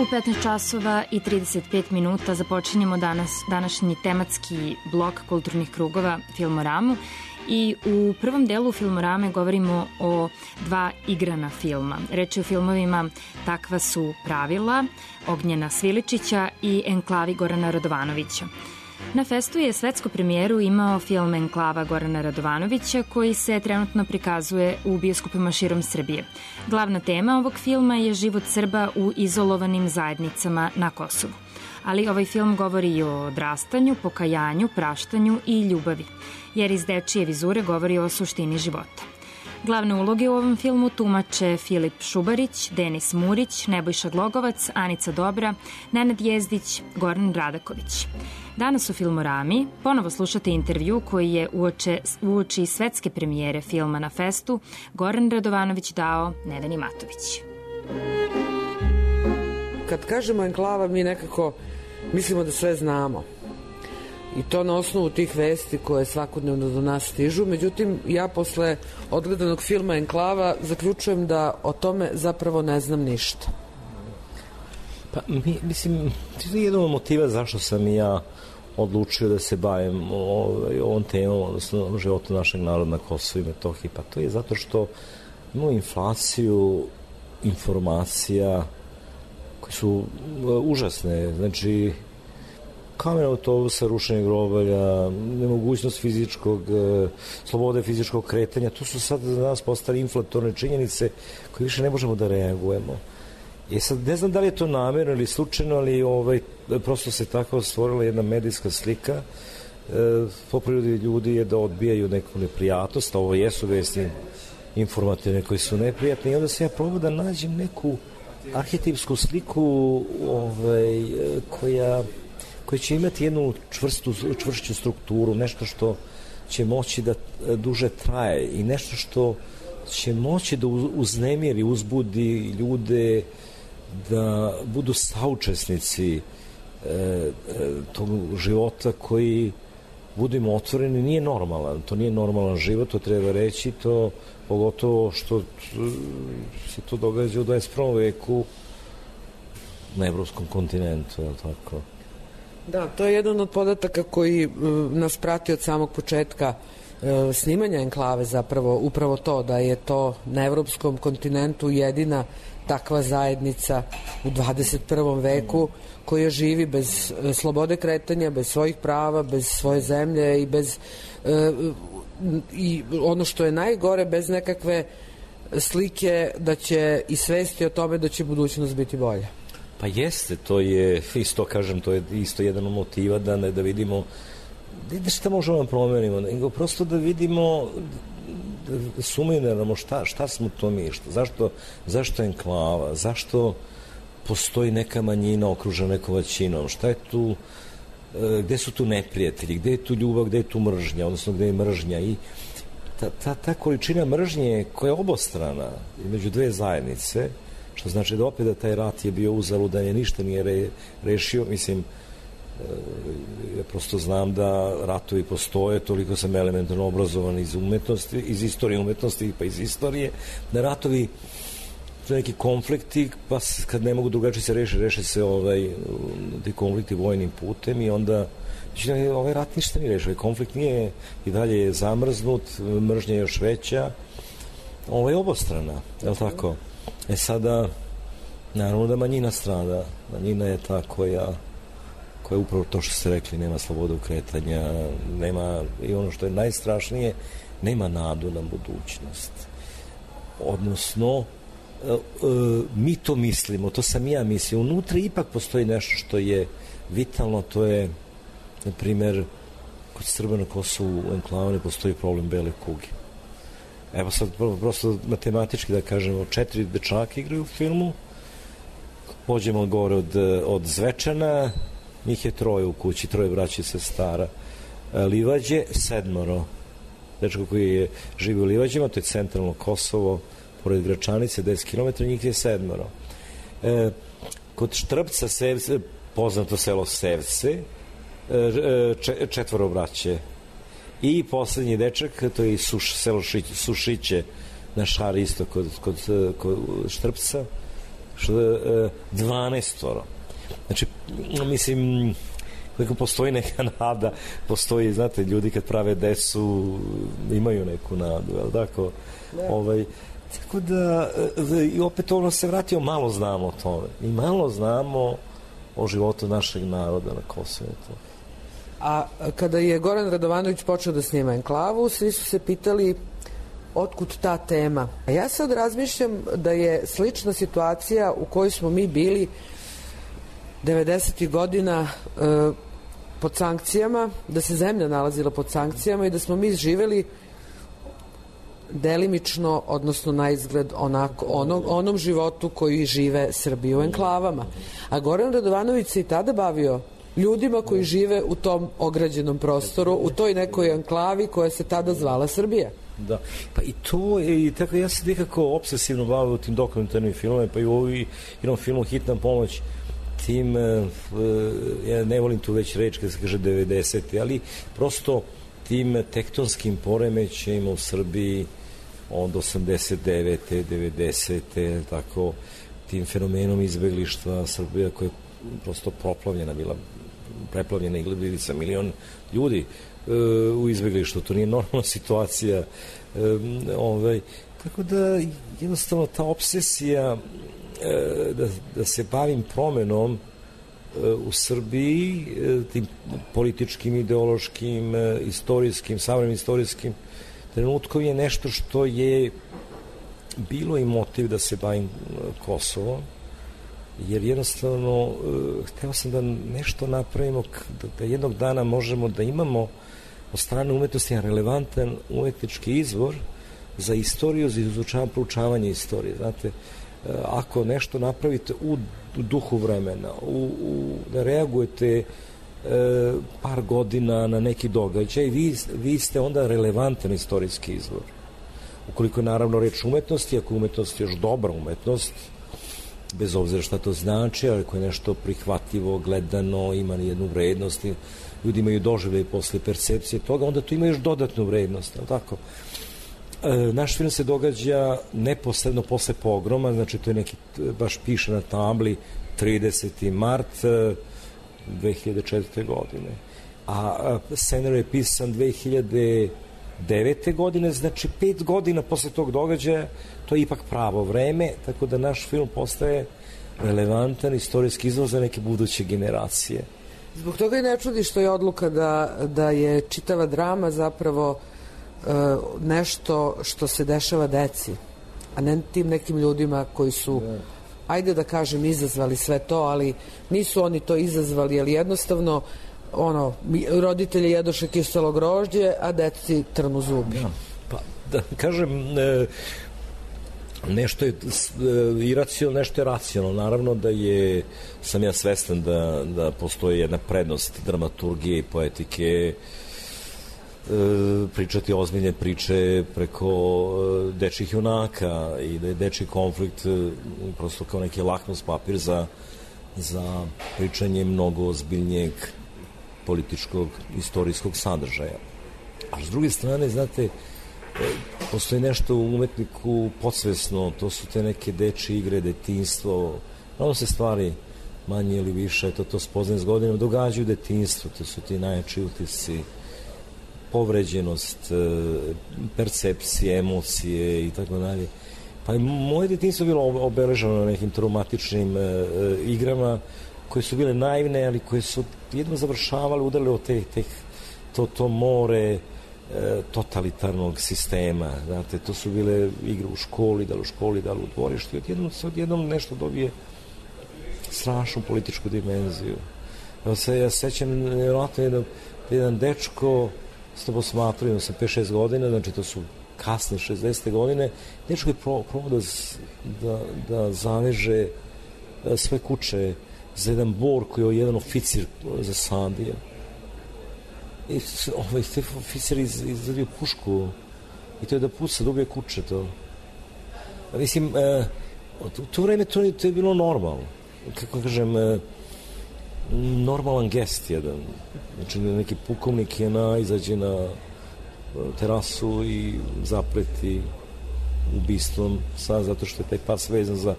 U petnaest časova i trideset pet minuta započinjemo danas, današnji tematski blok kulturnih krugova Filmoramu. I u prvom delu Filmorame govorimo o dva igrana filma. Reč je o filmovima Takva su pravila, Ognjena Sviličića i Enklavi Gorana Radovanovića. Na festu je svetsku premijeru imao film Enklava Gorana Radovanovića, koji se trenutno prikazuje u bioskopima širom Srbije. Glavna tema ovog filma je život Srba u izolovanim zajednicama na Kosovu. Ali ovaj film govori i o odrastanju, pokajanju, praštanju i ljubavi, jer iz dečije vizure govori o suštini života. Glavne uloge u ovom filmu tumače Filip Šubarić, Denis Murić, Nebojša Glogovac, Anica Dobra, Nenad Jezdić, Goran Radaković. Danas u Filmorami ponovo slušate intervju koji je uoče, uoči svetske premijere filma na festu Goran Radovanović dao Neveni Matović. Kad kažemo enklava, mi nekako mislimo da sve znamo. I to na osnovu tih vesti koje svakodnevno do nas stižu. Međutim, ja posle odgledanog filma Enklava zaključujem da o tome zapravo ne znam ništa. Pa, mi, mislim, to je jedan od motiva zašto sam i ja odlučio da se bavim ovaj, ovom temom, odnosno životu našeg naroda na Kosovu i Metohiji. Pa to je zato što imamo inflaciju informacija koje su uh, užasne. Znači, kamen autobusa, rušenje grobalja, nemogućnost fizičkog, e, slobode fizičkog kretanja, to su sad za nas postali inflatorne činjenice koje više ne možemo da reagujemo. I sad ne znam da li je to namjerno ili slučajno, ali ovaj, prosto se tako stvorila jedna medijska slika. E, po prirodi ljudi je da odbijaju neku neprijatnost, a ovo jesu vesti informativne koji su neprijatne, i onda se ja probao da nađem neku arhetipsku sliku ovaj, koja koji će imati jednu čvrstu, čvršću strukturu, nešto što će moći da duže traje i nešto što će moći da uznemiri, uzbudi ljude da budu saučesnici e, e, tog života koji, budimo otvoreni, nije normalan. To nije normalan život, to treba reći, to pogotovo što se to događa u dvadeset prvom veku na evropskom kontinentu, je li tako? Da, to je jedan od podataka koji uh, nas prati od samog početka uh, snimanja Enklave, zapravo upravo to da je to na evropskom kontinentu jedina takva zajednica u dvadeset prvom veku koja živi bez uh, slobode kretanja, bez svojih prava, bez svoje zemlje i bez uh, i ono što je najgore, bez nekakve slike da će i svesti o tome da će budućnost biti bolja. Pa jeste, to je, isto kažem, to je isto jedan od motiva da, ne, da vidimo da šta možemo da promenimo, nego prosto da vidimo, da sumiramo šta, šta smo to mi, šta, zašto, zašto je enklava, zašto postoji neka manjina okružena nekom većinom, šta je tu, gde su tu neprijatelji, gde je tu ljubav, gde je tu mržnja, odnosno gde je mržnja i ta, ta, ta količina mržnje koja je obostrana među dve zajednice, što znači da opet da taj rat je bio uzaludan, je ništa nije re, rešio, mislim, ja prosto znam da ratovi postoje, toliko sam elementarno obrazovan iz umetnosti, iz istorije umetnosti, pa iz istorije, da ratovi su neki konflikti, pa kad ne mogu drugačije se reši, reše se ovaj, ti konflikti vojnim putem i onda znači, ovaj rat ništa nije rešio, konflikt nije i dalje je zamrznut, mržnja je još veća, ovo je obostrana, je li tako? E sada, naravno da manjina strada, manjina je ta koja koja je upravo to što ste rekli, nema slobodu kretanja, nema, i ono što je najstrašnije, nema nadu na budućnost. Odnosno, e, e, mi to mislimo, to sam ja mislio, unutra ipak postoji nešto što je vitalno, to je, na primer, kod Srba na Kosovu u enklavi ne postoji problem bele kuge. Evo sad, prosto matematički da kažemo, četiri dečaka igraju u filmu, pođemo gore od, od Zvečana, njih je troje u kući, troje braće i sestara. Livađe, sedmoro. Dečko koji je živi u Livađima, to je centralno Kosovo, pored Gračanice, deset kilometara, njih je sedmoro. E, kod Štrpca, Sevce, poznato selo Sevce, e, četvoro braće. I poslednji dečak, to je Suš, selo Šić, Sušiće, na Šari isto kod, kod, kod Štrpca, dvanaestoro. Znači, mislim, kako postoji neka nada, postoji, znate, ljudi kad prave decu imaju neku nadu, ali tako, ne. ovaj, tako da, i opet ono se vratio, malo znamo o tome, i malo znamo o životu našeg naroda na Kosovu. A kada je Goran Radovanović počeo da snima Enklavu, svi su se pitali otkud ta tema. A ja sad razmišljam da je slična situacija u kojoj smo mi bili devedesetih godina e, pod sankcijama, da se zemlja nalazila pod sankcijama i da smo mi živeli delimično, odnosno na izgled onako, onom, onom životu koji žive Srbi u enklavama. A Goran Radovanović se i tada bavio ljudima koji žive u tom ograđenom prostoru, u toj nekoj enklavi koja se tada zvala Srbija. Da, pa i to je, i tako ja se nekako obsesivno bavio tim dokumentarnim filmom, pa i u ovom filmu Hitna pomoć, tim, ja ne volim tu već reč kada se kaže devedesete, ali prosto tim tektonskim poremećajima u Srbiji od osamdeset devete, devedesete, tako, tim fenomenom izbeglištva Srbija koja je prosto proplavljena bila, preplavljena i bili sa milion ljudi e, u izbeglištvu, to nije normalna situacija, e, ovaj, tako da jednostavno ta obsesija e, da, da se bavim promenom e, u Srbiji, e, tim političkim, ideološkim, e, istorijskim, savremenim istorijskim trenutkom je nešto što je bilo i motiv da se bavim Kosovom, jer jednostavno uh, hteo sam da nešto napravimo, da, da jednog dana možemo da imamo od strane umetnosti relevantan umetnički izvor za istoriju, za izučavanje, proučavanje istorije. Znate, uh, ako nešto napravite u, u duhu vremena, u, u, da reagujete uh, par godina na neki događaj, vi, vi ste onda relevantan istorijski izvor. Ukoliko je naravno reč umetnosti, ako je umetnost još dobra umetnost, bez obzira šta to znači, ali ako je nešto prihvatljivo, gledano, ima jednu vrednost, ljudi imaju doživljaj posle percepcije toga, onda to ima još dodatnu vrednost, ali tako? E, naš film se događa neposredno posle pogroma, znači to je neki, baš piše na tabli, trideseti mart, dve hiljade četvrte. godine. A scenarij je pisan dve hiljade devete. godine, znači pet godina posle tog događaja, to je ipak pravo vreme, tako da naš film postaje relevantan istorijski izvor za neke buduće generacije. Zbog toga i ne čudi što je odluka da, da je čitava drama zapravo e, nešto što se dešava deci, a ne tim nekim ljudima koji su, ajde da kažem, izazvali sve to, ali nisu oni to izazvali, ali jednostavno ono, roditelji jedoše kiselo grožđe, a deci trnu zubi. Ja, pa da kažem, e, nešto je iracionalno, nešto je racionalno. Naravno da je, sam ja svestan da, da postoji jedna prednost dramaturgije i poetike, e, pričati ozbiljne priče preko e, dečjih junaka i da je dečji konflikt e, prosto kao neki lakmus papir za, za pričanje mnogo ozbiljnijeg političkog, istorijskog sadržaja. A s druge strane, znate, postoji nešto u umetniku podsvesno, to su te neke dečje igre, detinjstvo, ono se stvari manje ili više, to, to spoznaje s godinama, događaju detinjstvo, to su ti najjači utisci, povređenost, percepcije, emocije i tako dalje. Pa moje detinjstvo je bilo obeleženo na nekim traumatičnim e, igrama koje su bile naivne, ali koje su jedno završavale, udarili od te, te, to, to more totalitarnog sistema, znate, to su bile igre u školi, da li u školi, da li u dvorištu, i odjednom se odjednom nešto dobije strašnu političku dimenziju. Evo se, ja sećam, vjerojatno jedan, jedan dečko, ste posmatrali, sam pet šest godina, znači to su kasne šezdesete godine, dečko je probao da, da, da zaveže sve kuće za jedan bor koji je jedan oficir zasadio. I ovaj, te oficir iz, izradio pušku i to je da puca, da ubije kuće to. A mislim, e, u to vreme to, to je bilo normalno. Kako kažem, e, normalan gest jedan. Znači, neki pukovnik je na, izađe na terasu i zapreti ubistvom sad, zato što je taj pas vezan za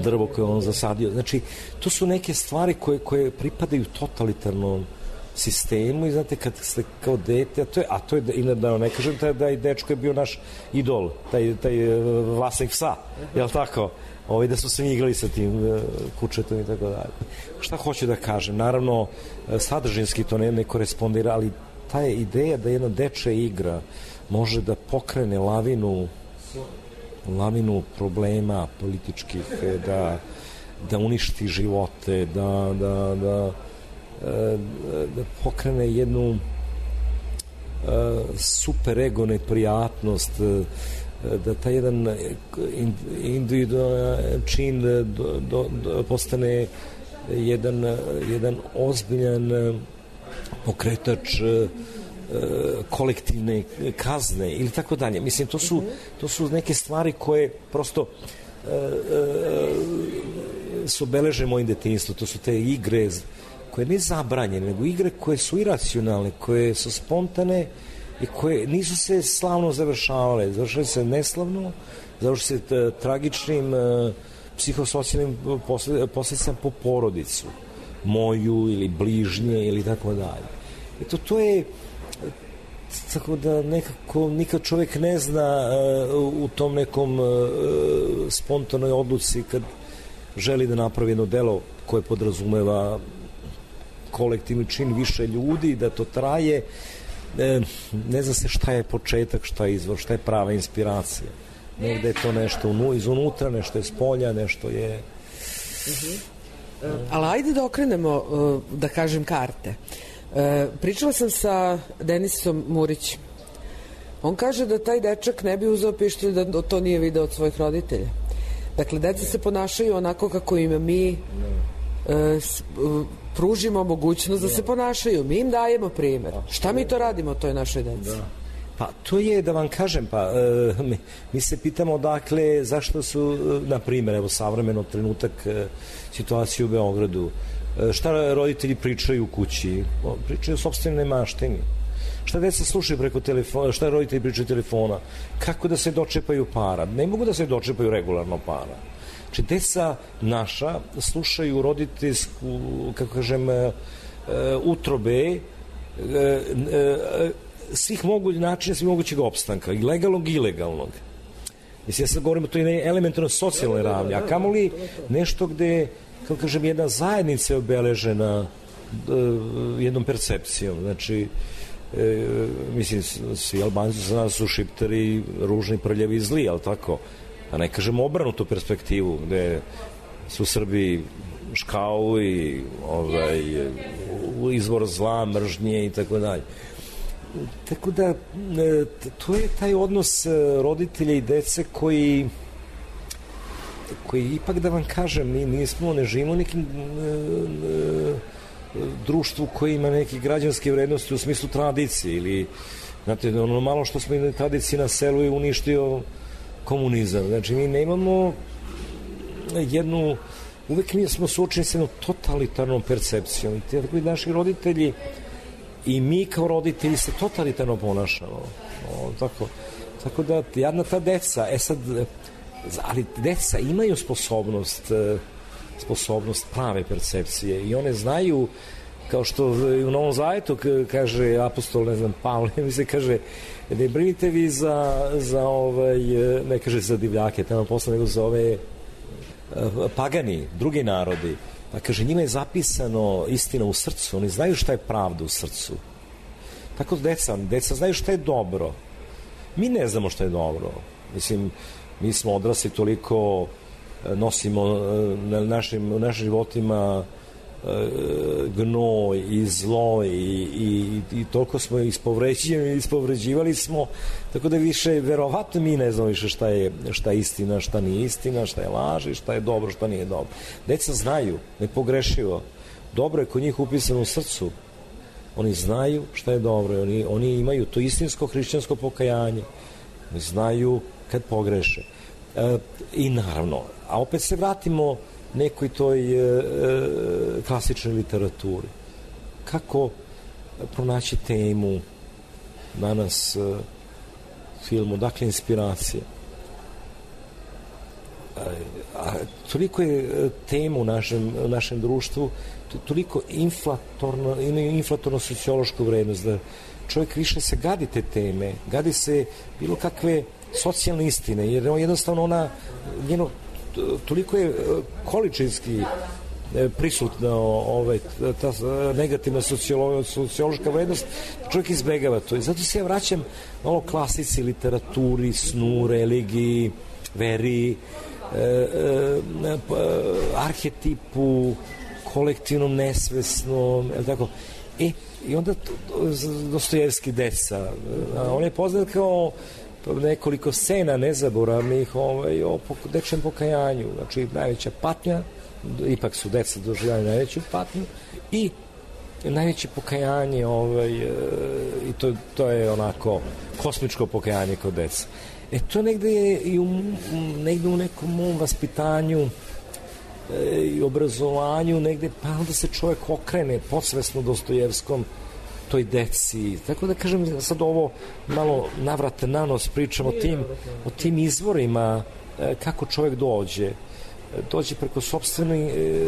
drvo koje on zasadio. Znači, to su neke stvari koje, koje pripadaju totalitarnom sistemu i znate kad ste kao dete, a to je, a to je i da ne kažem taj, da i dečko je bio naš idol, taj, taj vlasnik psa, jel tako? Ovi da su se igrali sa tim kučetom i tako dalje. Šta hoću da kažem? Naravno, sadržinski to ne, ne korespondira, ali ta je ideja da jedna dečja igra može da pokrene lavinu lavinu problema političkih, da, da uništi živote, da, da, da da pokrene jednu super ego neprijatnost, da taj jedan individualan čin do, do, do, postane jedan, jedan ozbiljan pokretač kolektivne kazne ili tako dalje. Mislim, to su, to su neke stvari koje prosto su obeleže mojim detinjstvom. To su te igre koje ne zabranjene, nego igre koje su iracionalne, koje su spontane i koje nisu se slavno završavale. Završale se neslavno, završale se tragičnim psihosocijalnim posljedicama po porodicu, moju ili bližnje ili tako dalje. Eto, to je tako da nekako nikad čovjek ne zna u tom nekom spontanoj odluci kad želi da napravi jedno delo koje podrazumeva kolektivni čin više ljudi, da to traje, e, ne zna se šta je početak, šta je izvor, šta je prava inspiracija. Negde je to nešto izunutra, nešto je s polja, nešto je... Uh-huh. Uh, ali ajde da okrenemo, uh, da kažem, karte. Uh, pričala sam sa Denisom Murićem. On kaže da taj dečak ne bi uzeo pištolj da to nije video od svojih roditelja. Dakle, deca se ponašaju onako kako im mi uh, uh, pružimo mogućnost da se ponašaju. Mi im dajemo primjer. Šta mi to radimo toj našoj deci? Da. Pa to je, da vam kažem, pa e, mi, mi se pitamo dakle zašto su, na primjer, evo savremeno trenutak e, situacije u Beogradu, e, šta roditelji pričaju u kući, o, pričaju o sopstvenoj maštini, šta deca slušaju preko telefona, šta roditelji pričaju telefona, kako da se dočepaju para, ne mogu da se dočepaju regularno para. Znači, deca naša slušaju roditeljsku, kako kažem, utrobe e, e, svih mogućih načina, svih mogućeg opstanka, i legalnog i ilegalnog. Mislim, ja sad govorim o toj elementarno socijalnoj ravni, a kamoli nešto gde, kako kažem, jedna zajednica je obeležena uh, jednom percepcijom. Znači, e, mislim, svi Albanci za nas su šiptari, ružni, prljavi i zli, ali tako? A ne kažem obrnutu perspektivu, gde su Srbi škau i ovaj, izvor zla, mržnje i tako dalje. Tako da, to je taj odnos roditelja i dece koji koji ipak, da vam kažem, mi nismo, ne živimo u nekim društvu koji ima neke građanske vrednosti u smislu tradicije ili, znate, ono malo što smo imali tradicije na selu je uništio komunizam. Znači, mi nemamo jednu, uvek mi smo suočeni s jednom totalitarnom percepcijom i tako i naši roditelji i mi kao roditelji se totalitarno ponašamo. O, tako, tako da, jadna ta deca, e sad, ali deca imaju sposobnost, sposobnost prave percepcije i one znaju, kao što u Novom Zavetu kaže apostol, ne znam, Pavle, mi se kaže, ne brinite vi za, za ovaj, ne kaže za divljake, tamo posle, nego za ove pagani, drugi narodi. Pa kaže, njima je zapisano istina u srcu, oni znaju šta je pravda u srcu. Tako deca, deca znaju šta je dobro. Mi ne znamo šta je dobro. Mislim, mi smo odrasli, toliko nosimo na našim, u našim životima gnoj i zlo i, i, i toliko smo ispovređivali, ispovređivali smo, tako da više, verovatno mi ne znamo više šta je, šta je istina, šta nije istina, šta je laž i šta je dobro, šta nije dobro. Deca znaju, nepogrešivo. Dobro je kod njih upisano u srcu. Oni znaju šta je dobro. Oni, oni imaju to istinsko hrišćansko pokajanje. Oni znaju kad pogreše. E, I naravno, a opet se vratimo nekoj toj e, klasičnoj literaturi. Kako pronaći temu danas e, filmu, dakle inspiracija. A, a toliko je tema u našem, u našem društvu, toliko inflatorno, imaju inflatorno sociološku vrednost, da čovjek više se gadi te teme, gadi se bilo kakve socijalne istine, jer jednostavno ona, njeno, toliko je količinski prisutna ovaj, ta negativna sociološka vrednost, čovjek izbegava to. I zato se ja vraćam malo klasici, literaturi, snu, religiji, veri, e, e, arhetipu, kolektivnom, nesvesnom, je tako? E, i onda Dostojevski deca, on je poznat kao nekoliko scena nezaboravnih ovaj, o dečjem pokajanju, znači najveća patnja, ipak su deca doživljali najveću patnju i najveće pokajanje ovaj, i to, to je onako kosmičko pokajanje kod deca. E to negde je i u, negde u nekom mom vaspitanju e, i obrazovanju negde, pa onda se čovjek okrene podsvesno Dostojevskom toj deci. Tako da kažem, sad ovo malo navrate na nos pričam o tim, o tim izvorima e, kako čovjek dođe. Dođe preko sopstvenih e,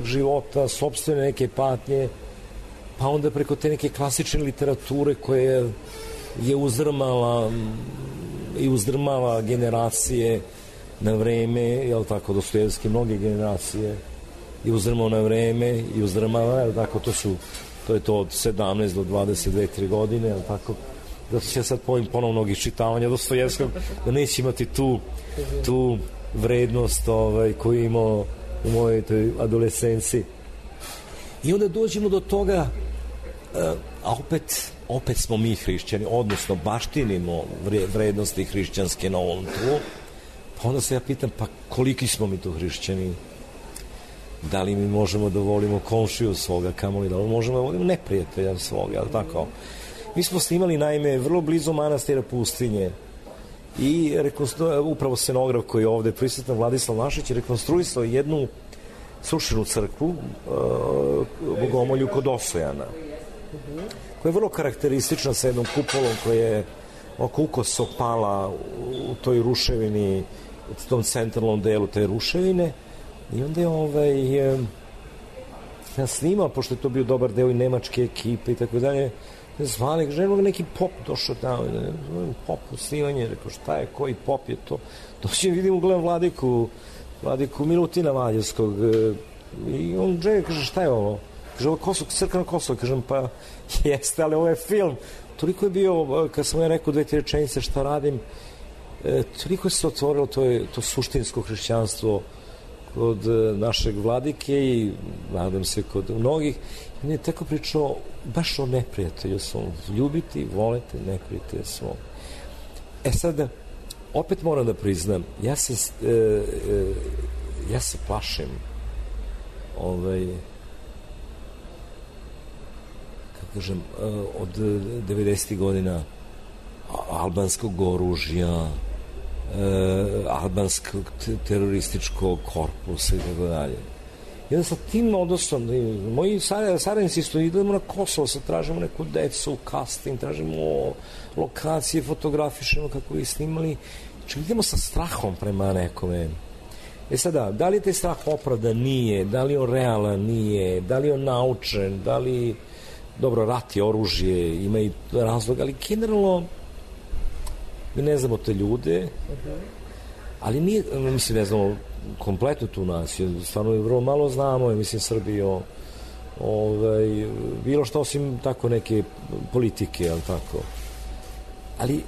života, sopstvene neke patnje, pa onda preko te neke klasične literature koje je uzdrmala i uzdrmava generacije na vreme, jel tako, Dostojevski mnoge generacije i uzdrmao na vreme i uzdrmava, jel tako, to su to je to od sedamnaest do dvadeset dve tri godine, jel tako, zato će ja sad povim ponovnog iščitavanja Dostojevskog, da neće imati tu tu vrednost ovaj, koju imao u mojoj toj adolescenciji. I onda dođemo do toga, a opet opet smo mi hrišćani, odnosno baštinimo vrednosti hrišćanske na ovom tlu, pa onda se ja pitam, pa koliki smo mi tu hrišćani? Da li mi možemo da volimo komšiju svoga, kamoli da li možemo da volimo neprijatelja svoga, ali tako? Mi smo snimali, naime, vrlo blizu manastira Pustinje i upravo scenograf koji je ovde prisutan, Vladislav Mašić, je rekonstruisao jednu srušenu crkvu, uh, Bogomolju kod Osojana, koja je vrlo karakteristična sa jednom kupolom koja je oko ukoso pala u toj ruševini, u tom centralnom delu te ruševine. I onda je ovaj, snimao, pošto je to bio dobar deo i nemačke ekipe i tako dalje, zvali, kaže, evo neki pop došao tamo, pop snimanje, rekao, šta je, koji pop je to? Doći vidim, gledam Vladiku, Vladiku Milutina Valjevskog, i on džega, kaže, šta je ovo? Kaže, ovo je Kosovo, crkveno Kosovo, kažem, pa jeste, ali ovo je film. Toliko je bio, kad sam ja rekao dve, tri rečenice šta radim, e, toliko se otvorilo to, je, to suštinsko hrišćanstvo kod našeg Vladike i nadam se kod mnogih. I on je tako pričao baš o neprijatelju svom. Ljubiti, volite neprijatelja svom. E sad, opet moram da priznam, ja se, e, e, ja se plašim ovaj, kako kažem, od devedesetih godina albanskog oružja, albanskog terorističkog korpusa i tako dalje. I onda sa tim odnosom, moji saradnici isto idemo na Kosovo, sad tražimo neku decu, casting, tražimo lokacije, fotografišemo kako bi snimali. Znači idemo sa strahom prema nekome. E sada, da li je taj strah opravdan? Nije. Da li je on realan? Nije. Da li je on naučen? Da li, dobro, rat je oružje, ima i razlog, ali generalno mi ne znamo te ljude, ali nije, mislim, ne znamo kompletno tu naciju, stvarno je vrlo malo znamo, mislim, Srbiju, ovaj, bilo što osim tako neke politike, ali tako. Ali,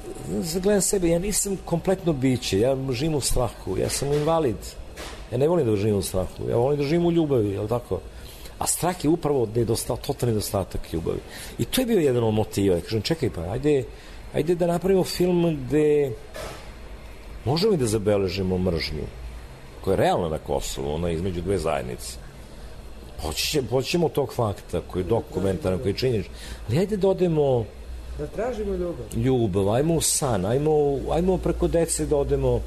gledam sebe, ja nisam kompletno biće, ja živim u strahu, ja sam invalid, ja ne volim da živim u strahu, ja volim da živim u ljubavi, ali tako. A strah je upravo nedostatak, totalni nedostatak ljubavi. I to je bio jedan od motiva. Ja kažem, čekaj pa, ajde, ajde da napravimo film gde možemo i da zabeležimo mržnju, koja je realna na Kosovu, ona između dve zajednice. Poćemo tog fakta, koji je dokumentaran, koji je činjenič. Ali ajde da odemo... Da tražimo ljubav. Ljubav, ajmo u san, ajmo, ajmo preko dece da odemo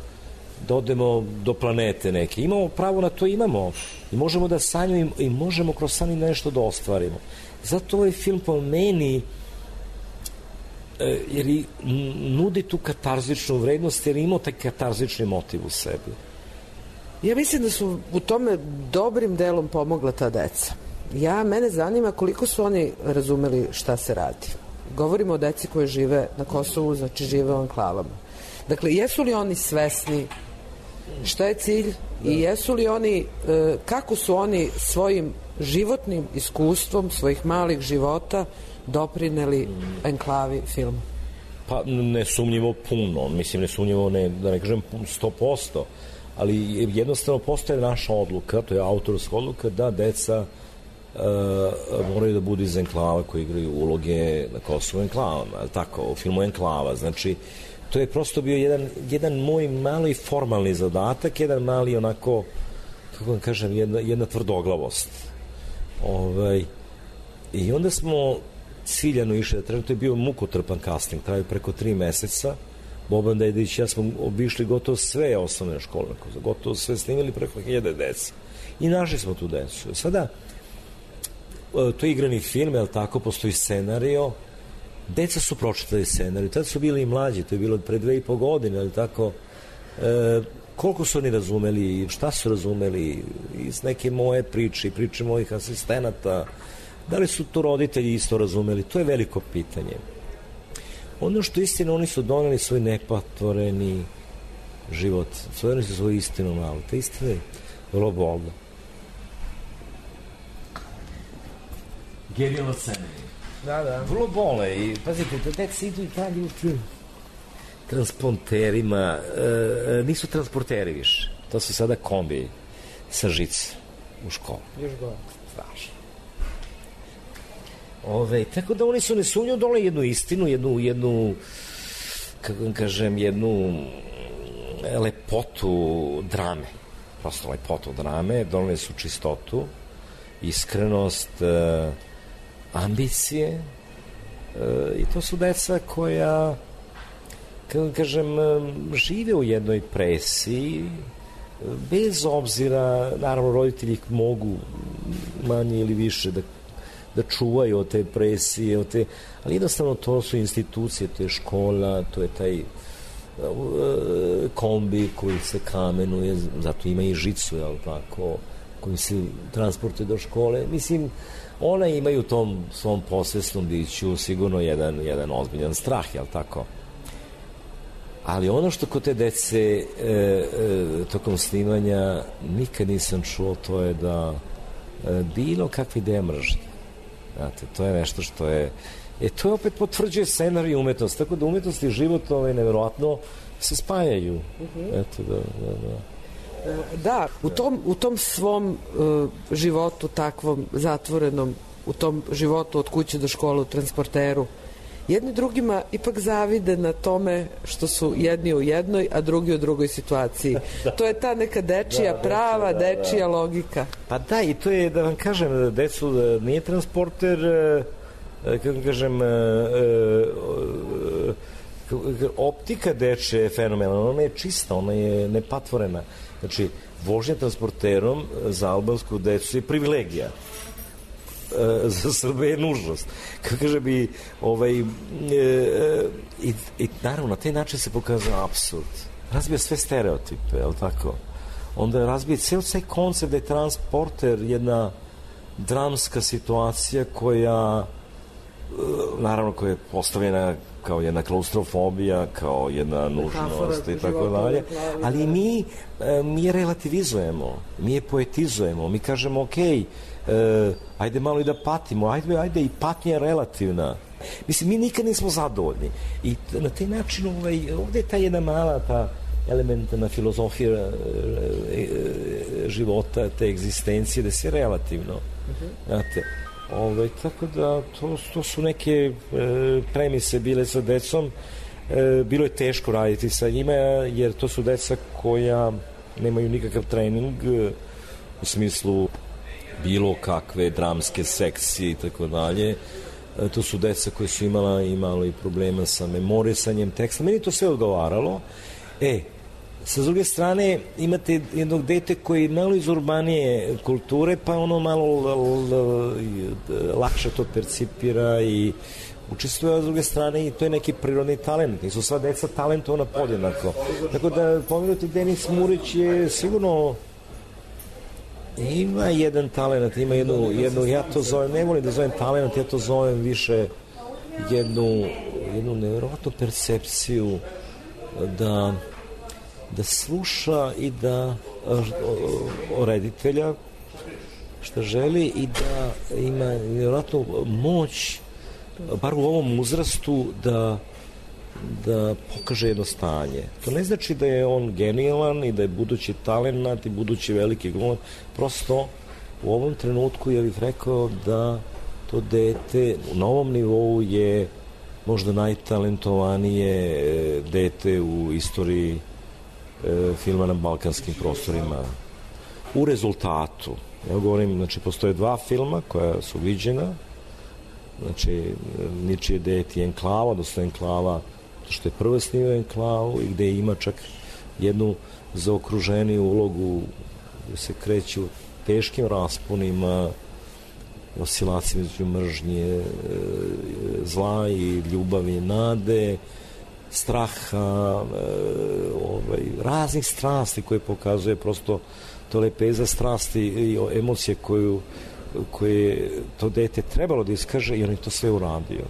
da odemo do planete neke. Imamo pravo na to, imamo. I možemo da sanjamo i možemo kroz san nešto da ostvarimo. Zato ovaj film po meni jer i nudi tu katarzičnu vrednost, jer ima taj katarzični motiv u sebi. Ja mislim da su u tome dobrim delom pomogla ta deca. Ja, mene zanima koliko su oni razumeli šta se radi. Govorimo o deci koje žive na Kosovu, znači žive u anklavama. Dakle, jesu li oni svesni šta je cilj i jesu li oni, kako su oni svojim životnim iskustvom svojih malih života doprineli enklavi filmu? Pa ne sumnjivo puno, mislim ne sumnjivo, ne, da ne kažem sto posto, ali jednostavno postoje naša odluka, to je autorska odluka, da deca uh, moraju da budu iz enklava koji igraju uloge na Kosovu enklavama, ali tako, u filmu Enklava, znači to je prosto bio jedan, jedan moj mali formalni zadatak, jedan mali onako, kako vam kažem, jedna, jedna tvrdoglavost. Ovaj, i onda smo ciljano išli, to je bio mukotrpan casting, traju preko tri meseca. Boban Dedić, ja smo obišli gotovo sve osnovne škole, gotovo sve snimili preko hiljade dece. I našli smo tu decu. Sada, to je igrani film, jel tako, postoji scenario, deca su pročitali scenariju, tada su bili i mlađi, to je bilo pre dve i po godine, jel tako, e, koliko su oni razumeli, šta su razumeli iz neke moje priče, priče mojih asistenata, da li su to roditelji isto razumeli, to je veliko pitanje. Ono što istina, oni su doneli svoj nepatvoreni život, doneli su svoju istinu malo, ta istina je vrlo bolna. Genijalno scenarij. Da, da. Vrlo bole i, pazite, da deca idu i dalje u transponterima, e, nisu transporteri više, to su sada kombi sa žice u školu. Još gore. Strašno. Ove, tako da oni su nesumnjivo dole jednu istinu, jednu, jednu, kako vam kažem, jednu lepotu drame. Prosto lepotu drame, doneli su čistotu, iskrenost, e, ambicije, e, i to su deca koja, kako vam kažem, žive u jednoj presiji, bez obzira, naravno roditelji mogu manje ili više da da čuvaju od te presije, od te, ali jednostavno to su institucije, to je škola, to je taj uh, kombi koji se kamenuje, zato ima i žicu, jel tako, koji se transportuje do škole. Mislim, ona imaju u tom svom posvesnom biću sigurno jedan, jedan ozbiljan strah, jel tako? Ali ono što kod te dece e, e, tokom snimanja nikad nisam čuo, to je da e, bilo kakve ideje mržnje. Znate, to je nešto što je... E, to je opet potvrđuje scenarij i umetnost, tako da umetnost i život ovaj, nevjerojatno se spajaju. Uh-huh. Eto, da, da, da. Da, u tom, u tom svom uh, životu takvom zatvorenom, u tom životu od kuće do škole u transporteru, jedni drugima ipak zavide na tome što su jedni u jednoj, a drugi u drugoj situaciji. Da. To je ta neka dečija, da, prava, da, da, dečija da. logika. Pa da, i to je, da vam kažem, decu nije transporter, kako kažem, optika deče je fenomenalna, ona je čista, ona je nepatvorena. Znači, vožnja transporterom za albansku decu je privilegija. Za Srbe je nužnost. Kako kaže bi, ovaj, e, i, i naravno, na taj način se pokazuje apsurd. Razbija sve stereotipe, je li tako? Onda razbija ceo taj koncept da je transporter jedna dramska situacija koja, naravno, koja je postavljena kao jedna klaustrofobija, kao jedna nužnost i tako dalje. Ali mi, mi je relativizujemo, mi je poetizujemo, mi kažemo, okej, E, ajde malo i da patimo, ajde, ajde i patnja je relativna. Mislim, mi nikad nismo zadovoljni. I na taj način ovaj, ovde je ta jedna mala ta elementarna filozofija e, e, života, te egzistencije, da se relativno. Uh-huh. Znate, ovaj, tako da to, to su neke e, premise bile sa decom. E, bilo je teško raditi sa njima, jer to su deca koja nemaju nikakav trening e, u smislu bilo kakve dramske sekcije i tako dalje. To su deca koje su imala, imala i problema sa memorisanjem teksta. Meni to sve odgovaralo. E, sa druge strane, imate jednog dete koji je malo iz urbanije kulture, pa ono malo l, l, lakše to percipira i učestvuje, a s druge strane i to je neki prirodni talent. Nisu sva deca talentovana podjednako. Tako da, pomenuti Denis Murić je sigurno ima jedan talent, ima jednu, jednu, ja to zovem, ne volim da zovem talent, ja to zovem više jednu, jednu nevjerojatnu percepciju da, da sluša i da o reditelja šta želi i da ima nevjerojatnu moć, bar u ovom uzrastu, da da pokaže jedno stanje. To ne znači da je on genijalan i da je budući talent i budući veliki glumac. Prosto u ovom trenutku ja bih rekao da to dete na ovom nivou je možda najtalentovanije dete u istoriji e, filma na balkanskim prostorima. U rezultatu, ja govorim, znači postoje dva filma koja su viđena, znači Ničije dete i Enklava, odnosno Enklava što je prvo snimio Enklavu i gde ima čak jednu zaokruženiju ulogu gde se kreću teškim rasponima, oscilacijama između mržnje, zla i ljubavi, nade, straha, ovaj, raznih strasti koje pokazuje prosto to lepeza strasti i emocije koju, koje to dete trebalo da iskaže i on je to sve uradio.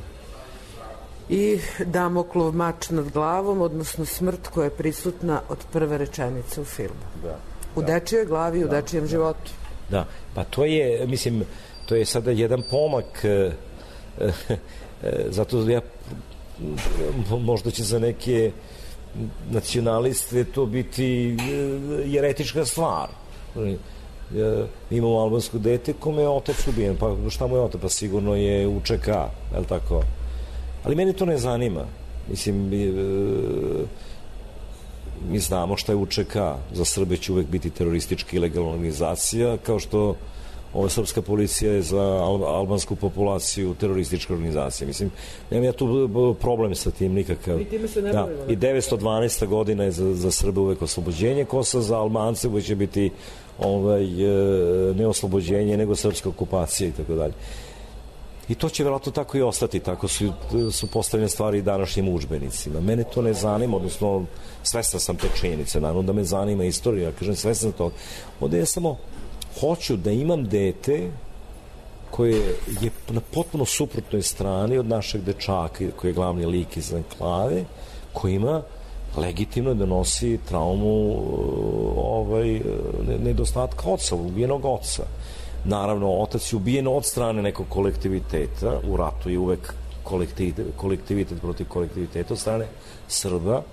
I Damoklov mač nad glavom, odnosno smrt koja je prisutna od prve rečenice u filmu. Da. U da. dečijoj glavi, da. u dečijem životu. Da, pa to je, mislim, to je sada jedan pomak, e, e, zato ja, možda će za neke nacionaliste to biti jeretička stvar. Mi imamo albansko dete kome je otac ubijen, pa šta mu je otac? Pa sigurno je U Č K, je li tako? Ali mene to ne zanima. Mislim, mi, mi znamo šta je U Č K. Za Srbe će uvek biti teroristička ilegalna organizacija, kao što ova srpska policija je za albansku populaciju teroristička organizacija. Mislim, nemam ja tu problem sa tim nikakav. I time se ne da. I devetsto dvanaesta godina je za, za Srbe uvek oslobođenje Kosova, za Albance uvek će biti ovaj, ne oslobođenje, nego srpska okupacija i tako dalje. I to će verovatno tako i ostati, tako su, su postavljene stvari i današnjim udžbenicima. Mene to ne zanima, odnosno svestan sam te činjenice, naravno da me zanima istorija, kažem svestan to. Ovde je samo hoću da imam dete koje je na potpuno suprotnoj strani od našeg dečaka koji je glavni lik iz Enklave, koji ima legitimno da nosi traumu ovaj, nedostatka oca, ubijenog oca. Naravno, otac je ubijen od strane nekog kolektiviteta, u ratu je uvek kolektivitet, kolektivitet protiv kolektiviteta od strane Srba.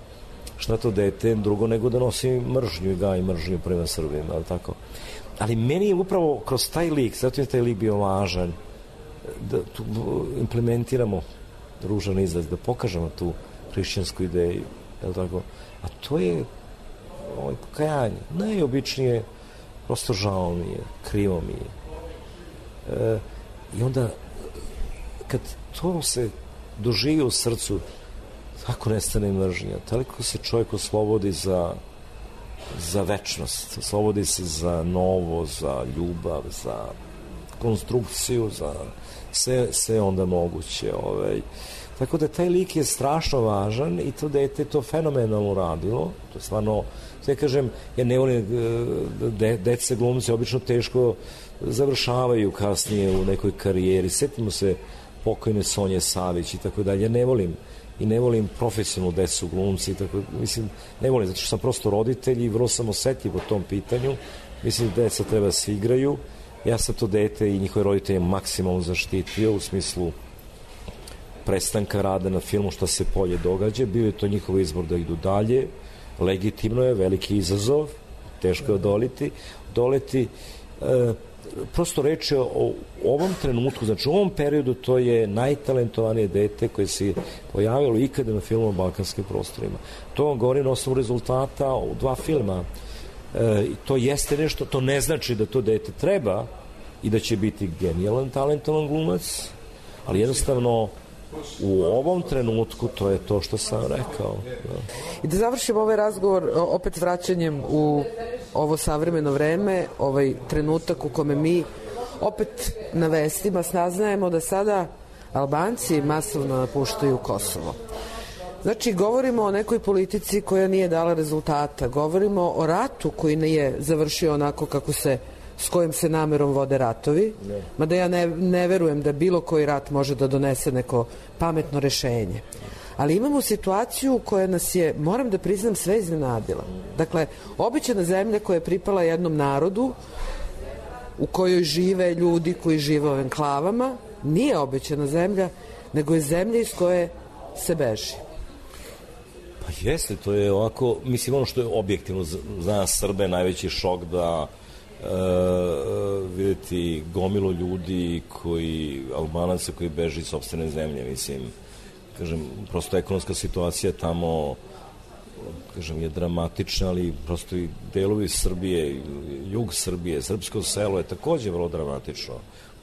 Šta to dete drugo nego da nosi mržnju i gaji mržnju prema Srbima, ali tako. Ali meni je upravo kroz taj lik, zato je taj lik bio važan, da tu implementiramo ružan izraz, da pokažemo tu hrišćansku ideju, je tako? A to je ovaj, pokajanje. Najobičnije, prosto žao mi je, krivo mi je. E, I onda, kad to se doživi u srcu, tako nestane mržnja, toliko se čovjek oslobodi za za večnost, oslobodi se za novo, za ljubav, za konstrukciju, za sve, sve onda moguće. Ovaj. Tako da taj lik je strašno važan i to dete to fenomenalno radilo. To je stvarno, sve kažem, ja ne volim, de, dece glumci obično teško završavaju kasnije u nekoj karijeri. Sjetimo se pokojne Sonje Savić i tako dalje. Ja ne volim i ne volim profesionalnu decu glumci, tako, mislim, ne volim, zato što sam prosto roditelj i vrlo sam osetljiv po tom pitanju. Mislim da deca treba da se igraju. Ja sam to dete i njihove roditelje maksimalno zaštitio u smislu prestanka rada na filmu, što se polje događa. Bio je to njihov izbor da idu dalje. Legitimno je, veliki izazov, teško je odoliti. Doleti, e, prosto reč je o ovom trenutku, znači u ovom periodu to je najtalentovanije dete koje se pojavilo ikada na filmu o balkanskim prostorima. To vam govori na osnovu rezultata u dva filma. E, to jeste nešto, to ne znači da to dete treba i da će biti genijalan, talentovan glumac, ali jednostavno u ovom trenutku to je to što sam rekao. Da. I da završimo ovaj razgovor opet vraćanjem u ovo savremeno vreme, ovaj trenutak u kome mi opet na vestima saznajemo da sada Albanci masovno napuštaju Kosovo. Znači, govorimo o nekoj politici koja nije dala rezultata, govorimo o ratu koji nije završio onako kako se, s kojim se namerom vode ratovi, ne. Mada ja ne, ne verujem da bilo koji rat može da donese neko pametno rešenje. Ali imamo situaciju koja nas je, moram da priznam, sve iznenadila. Dakle, obećana zemlja koja je pripala jednom narodu, u kojoj žive ljudi koji žive u enklavama, nije obećana zemlja, nego je zemlja iz koje se beži. Pa jeste, to je ovako, mislim, ono što je objektivno za nas Srbe najveći šok da e, vidjeti gomilu ljudi koji, Albanaca koji beži iz sopstvene zemlje, mislim, kažem, prosto ekonomska situacija tamo, kažem, je dramatična, ali prosto i delovi Srbije, jug Srbije, srpsko selo je takođe vrlo dramatično.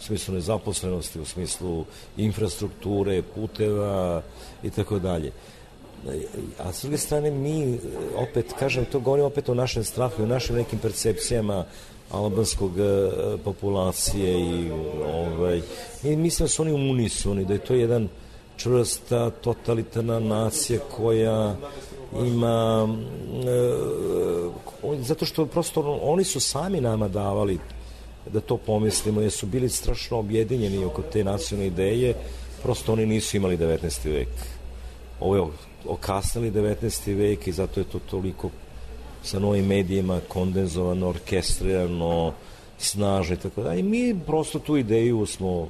U smislu nezaposlenosti, u smislu infrastrukture, puteva i tako dalje. A s druge strane mi, opet, kažem, to govorimo opet o našem strahu i o našim nekim percepcijama albanskog populacije i ovaj, i mislim da su oni unisoni, da je to jedan čvrsta, totalitarna nacija koja ima e, zato što prosto oni su sami nama davali da to pomislimo, jer su bili strašno objedinjeni oko te nacionalne ideje, prosto oni nisu imali devetnaesti vek. Ovo je okasnili devetnaesti vek i zato je to toliko sa novim medijima kondenzovano, orkestrirano, snažno i tako da. I mi prosto tu ideju smo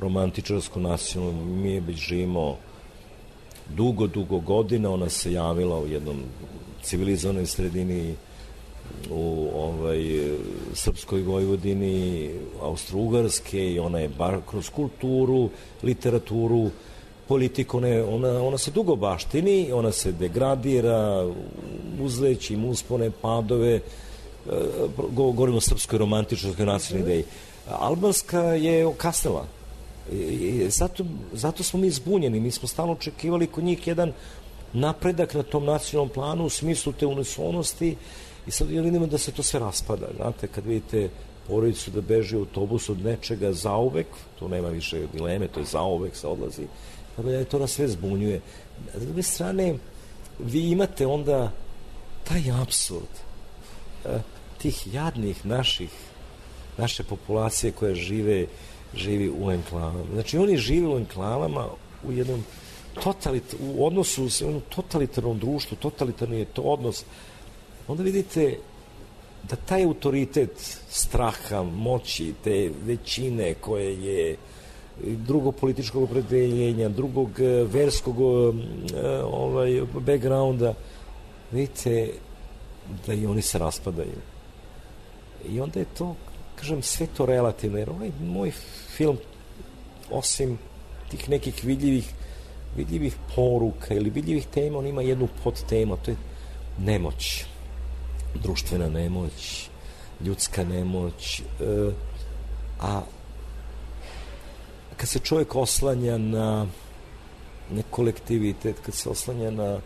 romantičarsko nacionalno, mi je već živimo dugo, dugo godina, ona se javila u jednom civilizovanoj sredini u ovaj, Srpskoj Vojvodini, Austro-Ugarske i ona je bar kroz kulturu, literaturu, politiku, ne, ona, ona se dugo baštini, ona se degradira, uzleći im uspone, padove, govorimo o srpskoj romantičnoj nacionalnoj ideji. Albanska je okasnila. I zato, zato smo mi zbunjeni, mi smo stalno očekivali kod njih jedan napredak na tom nacionalnom planu u smislu te unisonosti i sad vidimo da se to sve raspada. Znate, kad vidite porodicu da beži u autobus od nečega zauvek, to nema više dileme, to je zauvek, se odlazi, tako da to nas sve zbunjuje. S druge strane, vi imate onda taj apsurd tih jadnih naših naše populacije koja žive, živi u enklavama. Znači, oni žive u enklavama u jednom totalit, u odnosu s jednom totalitarnom društvu, totalitarni je to odnos. Onda vidite da taj autoritet straha, moći, te većine koje je drugog političkog opredeljenja, drugog verskog ovaj, backgrounda, vidite da i oni se raspadaju. I onda je to, kažem, sve to relativno, jer ovaj moj film, osim tih nekih vidljivih, vidljivih poruka ili vidljivih tema, on ima jednu podtemu, to je nemoć, društvena nemoć, ljudska nemoć, e, a kad se čovjek oslanja na, na kolektivitet, kad se oslanja na,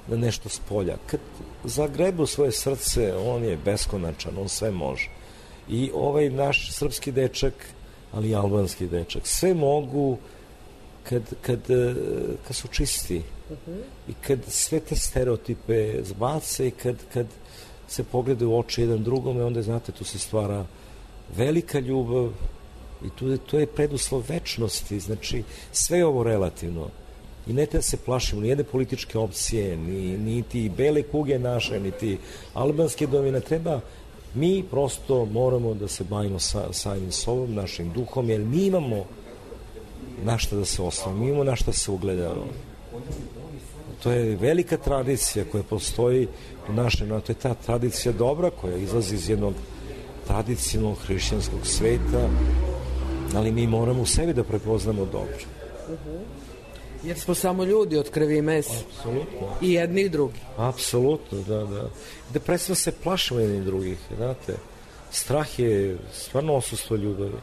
na nešto s polja, kad zagrebe u svoje srce, on je beskonačan, on sve može. I ovaj naš srpski dečak, ali i albanski dečak, sve mogu kad, kad, kad su čisti uh-huh. i kad sve te stereotipe zbace i kad, kad se pogleda u oči jedan drugome, onda, znate, tu se stvara velika ljubav i tu, to je preduslov večnosti. Znači, sve je ovo relativno. I ne treba se plašimo ni jedne političke opcije, ni, ni ti bele kuge naše, ni ti albanske domine. Treba, mi prosto moramo da se bavimo sa, samim sobom, našim duhom, jer mi imamo na šta da se osnovimo, mi imamo na šta se ugledamo. To je velika tradicija koja postoji u našem, to je ta tradicija dobra koja izlazi iz jednog tradicionalnog hrišćanskog sveta, ali mi moramo u sebi da prepoznamo dobro. Uh-huh. Jer smo samo ljudi od krvi i mesa. Apsolutno. I jedni i drugi. Apsolutno, da, da. Da prestano se plašimo jedni drugih, znate. Strah je stvarno odsustvo ljubavi.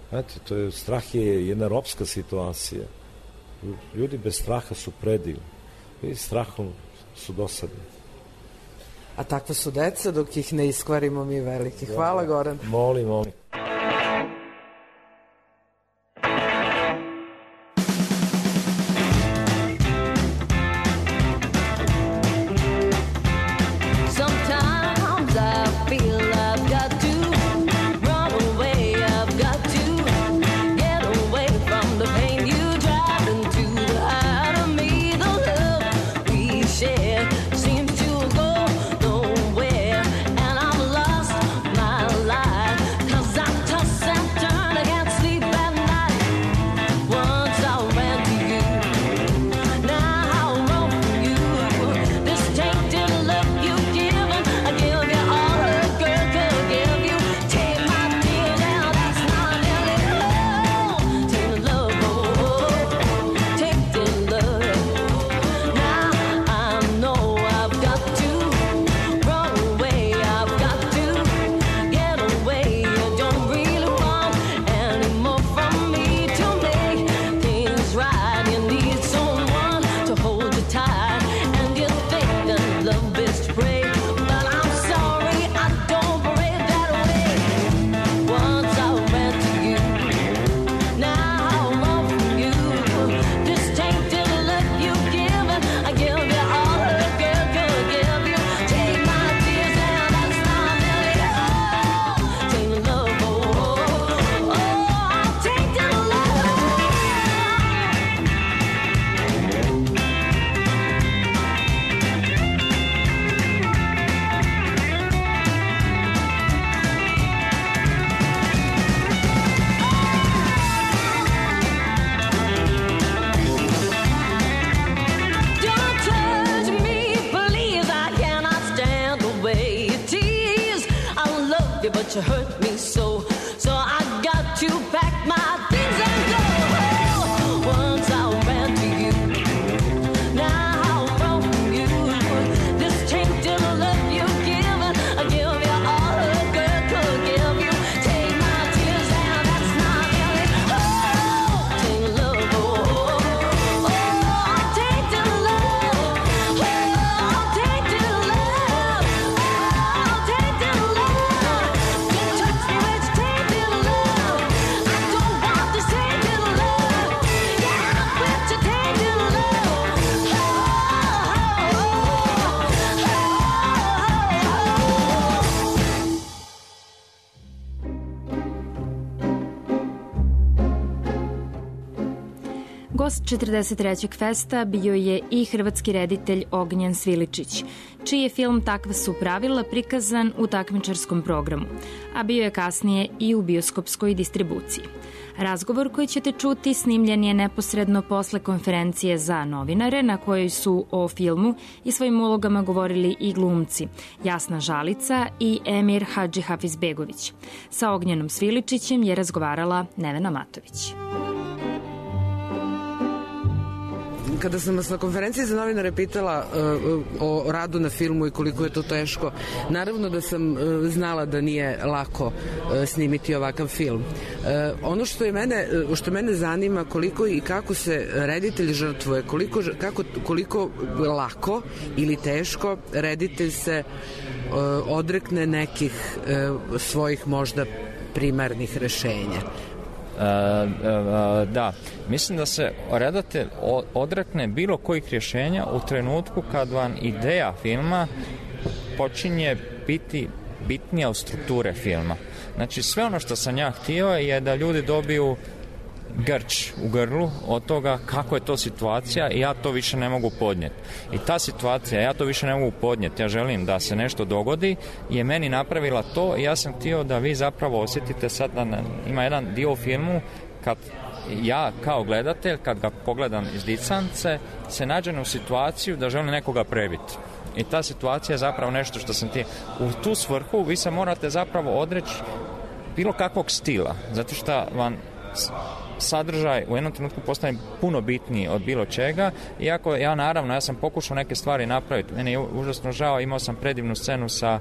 Znate, to je, strah je jedna ropska situacija. Ljudi bez straha su predivni. I strahom su dosadni. A takva su deca dok ih ne iskvarimo mi veliki. Hvala, Goran. Molim, molim. You hurt me so, so I got to pack my things and go. Once I ran to you, now I run from you. This tainted love you give, I give you all a girl could give you. Take my tears and that's not really. Oh, tainted love, oh, oh, tainted love, oh, tainted love, oh, tainted love. Gost četrdeset trećeg festa bio je i hrvatski reditelj Ognjen Sviličić, čiji je film Takva su pravila prikazan u takmičarskom programu, a bio je kasnije i u bioskopskoj distribuciji. Razgovor koji ćete čuti snimljen je neposredno posle konferencije za novinare na kojoj su o filmu i svojim ulogama govorili i glumci Jasna Žalica i Emir Hadži Hafizbegović. Sa Ognjenom Sviličićem je razgovarala Nevena Matović. Kada sam vas na konferenciji za novinare pitala uh, o radu na filmu i koliko je to teško, naravno da sam uh, znala da nije lako uh, snimiti ovakav film. Uh, ono što je mene, uh, što mene zanima, koliko i kako se reditelj žrtvuje, koliko, kako, koliko lako ili teško reditelj se uh, odrekne nekih uh, svojih možda primarnih rešenja. Uh, uh, da, mislim da se redatelj odrekne bilo kojih rješenja u trenutku kad vam ideja filma počinje biti bitnija od strukture filma. Znači sve ono što sam ja htio je da ljudi dobiju grč u grlu od toga kako je to situacija i ja to više ne mogu podnijeti. I ta situacija, ja to više ne mogu podnijeti, ja želim da se nešto dogodi, je meni napravila to i ja sam htio da vi zapravo osjetite sad da ima jedan dio u filmu kad ja kao gledatelj, kad ga pogledam iz distance, se nađem u situaciju da želim nekoga prebiti. I ta situacija je zapravo nešto što sam ti... U tu svrhu vi se morate zapravo odreći bilo kakvog stila, zato što vam sadržaj u jednom trenutku postane puno bitniji od bilo čega, iako ja naravno, ja sam pokušao neke stvari napraviti, meni je užasno žao, imao sam predivnu scenu sa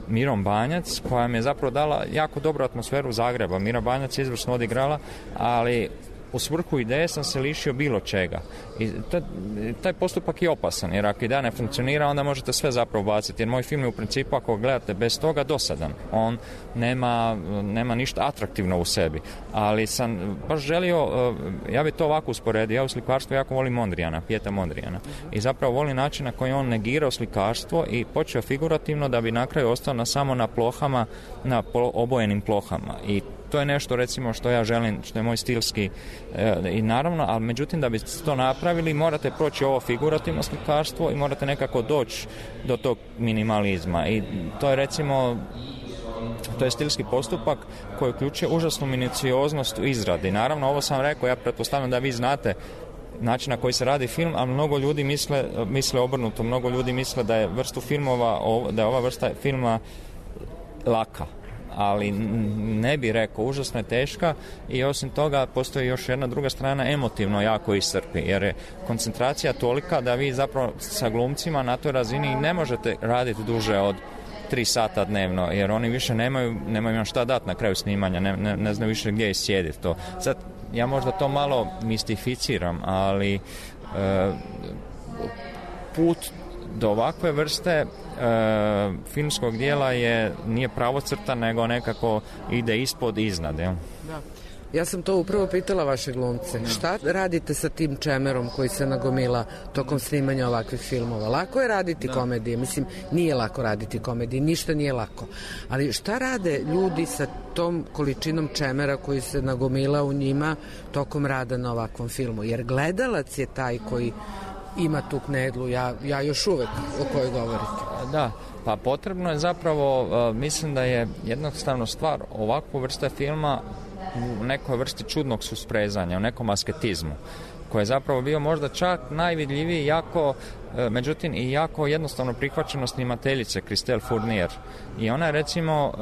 Mirom Banjac, koja mi je zapravo dala jako dobru atmosferu Zagreba. Mira Banjac je izvrsno odigrala, ali u svrhu ideje sam se lišio bilo čega. I taj, taj postupak je opasan, jer ako ideja ne funkcionira, onda možete sve zapravo baciti. Jer moj film je u principu, ako gledate bez toga, dosadan. On nema, nema ništa atraktivno u sebi. Ali sam baš želio, ja bi to ovako usporedio, ja u slikarstvu jako volim Mondrijana, Pjeta Mondrijana. I zapravo volim način na koji on negirao slikarstvo i počeo figurativno da bi na kraju ostao na, samo na plohama, na obojenim plohama. I to je nešto recimo što ja želim, što je moj stilski e, i naravno, ali međutim da biste to napravili morate proći ovo figurativno slikarstvo i morate nekako doći do tog minimalizma i to je recimo to je stilski postupak koji uključuje užasnu minucioznost u izradi. Naravno, ovo sam rekao, ja pretpostavljam da vi znate način na koji se radi film, a mnogo ljudi misle, misle obrnuto, mnogo ljudi misle da je vrstu filmova, da je ova vrsta filma laka, ali ne bi rekao, užasno je teška i osim toga postoji još jedna druga strana, emotivno jako iscrpi, jer je koncentracija tolika da vi zapravo sa glumcima na toj razini ne možete raditi duže od tri sata dnevno, jer oni više nemaju, nemaju vam šta dati na kraju snimanja, ne, ne, ne znaju više gdje iscijediti to. Sad, ja možda to malo mistificiram, ali e, put do ovakve vrste e, filmskog dijela je nije pravocrtan, nego nekako ide ispod, iznad. Ja? Da. Ja sam to upravo pitala vaše glumce. Da. Šta radite sa tim čemerom koji se nagomila tokom snimanja ovakvih filmova? Lako je raditi da. komedije. Mislim, nije lako raditi komedije. Ništa nije lako. Ali šta rade ljudi sa tom količinom čemera koji se nagomila u njima tokom rada na ovakvom filmu? Jer gledalac je taj koji ima tu knedlu, ja, ja još uvek o kojoj govorite. Da, pa potrebno je zapravo, uh, mislim da je jednostavno stvar ovakvu vrste filma u nekoj vrsti čudnog susprezanja, u nekom asketizmu, koji je zapravo bio možda čak najvidljiviji, jako, e, međutim i jako jednostavno prihvaćeno snimateljice Christelle Fournier. I ona je recimo,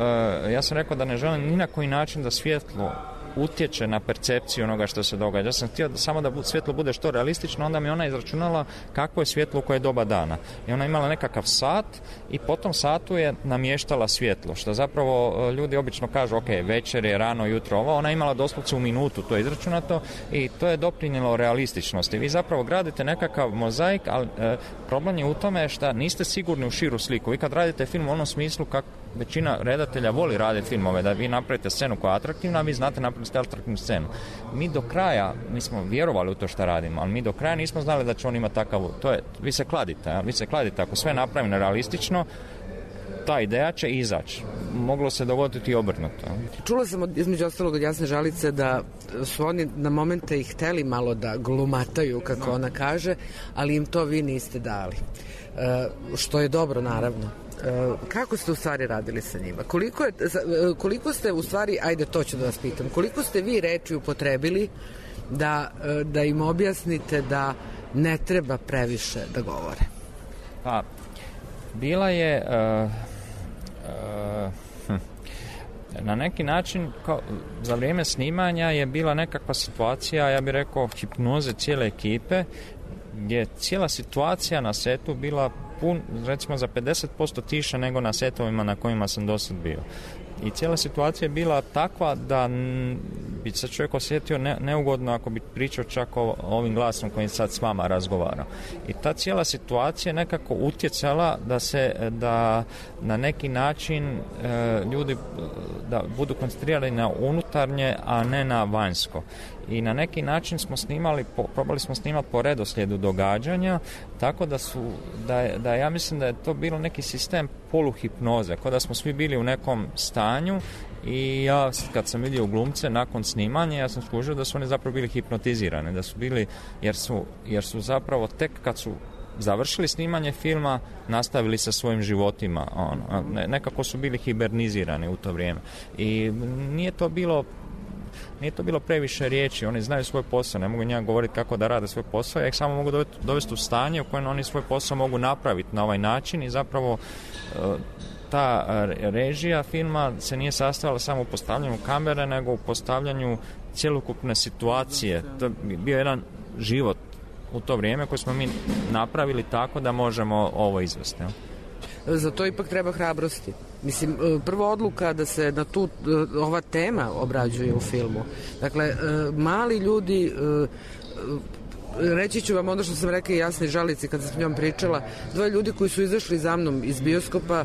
e, ja sam rekao da ne želim ni na koji način da svjetlo utječe na percepciju onoga što se događa. Ja sam htio da samo da svjetlo bude što realistično, onda mi ona izračunala kakvo je svjetlo u koje je doba dana. I ona imala nekakav sat i po tom satu je namještala svjetlo, što zapravo ljudi obično kažu, ok, večer je, rano, jutro, ovo. Ona je imala doslovce u minutu, to je izračunato i to je doprinijelo realističnosti. Vi zapravo gradite nekakav mozaik, ali e, problem je u tome što niste sigurni u širu sliku. Vi kad radite film u onom smislu kako većina redatelja voli raditi filmove, da vi napravite scenu koja je atraktivna, a vi znate napraviti atraktivnu scenu. Mi do kraja, mi smo vjerovali u to što radimo, ali mi do kraja nismo znali da će on imati takav, to je, vi se kladite, vi se kladite, ako sve napravimo realistično, ta ideja će izaći. Moglo se dogoditi i obrnuto. Čula sam od, između ostalog od Jasne Žalice da su oni na momente i hteli malo da glumataju, kako ona kaže, ali im to vi niste dali. E, što je dobro, naravno. E, kako ste u stvari radili sa njima? Koliko, je, koliko ste u stvari, ajde to ću da vas pitam, koliko ste vi reči upotrebili da, da im objasnite da ne treba previše da govore? Pa, bila je uh, uh, hm, na neki način kao, za vrijeme snimanja je bila nekakva situacija, ja bih rekao, hipnoze cijele ekipe, gdje je cijela situacija na setu bila pun, recimo za pedeset posto tiša nego na setovima na kojima sam dosad bio. I cijela situacija je bila takva da n, bi se čovjek osjetio ne, neugodno ako bi pričao čak o, ovim glasom kojim sad s vama razgovara. I ta cijela situacija je nekako utjecala da se, da na neki način e, ljudi da budu koncentrirani na unutarnje, a ne na vanjsko. I na neki način smo snimali, po, probali smo snimati po redoslijedu događanja, tako da su, da, da ja mislim da je to bilo neki sistem poluhipnoze, kao da smo svi bili u nekom stanju i ja kad sam vidio glumce nakon snimanja, ja sam skužio da su oni zapravo bili hipnotizirani, da su bili, jer su, jer su zapravo tek kad su završili snimanje filma, nastavili sa svojim životima, ono, nekako su bili hibernizirani u to vrijeme. I nije to bilo Nije to bilo previše riječi, oni znaju svoj posao, ne mogu njega govoriti kako da rade svoj posao, ja ih samo mogu dovesti u stanje u kojem oni svoj posao mogu napraviti na ovaj način i zapravo ta režija filma se nije sastojala samo u postavljanju kamere, nego u postavljanju cjelokupne situacije. To je bio jedan život u to vrijeme koji smo mi napravili tako da možemo ovo izvesti. Za to ipak treba hrabrosti. Mislim, prva odluka da se na tu ova tema obrađuje u filmu. Dakle, mali ljudi, reći ću vam ono što sam rekla i Jasni Žalici kad sam s njom pričala, dvoje ljudi koji su izašli za mnom iz bioskopa,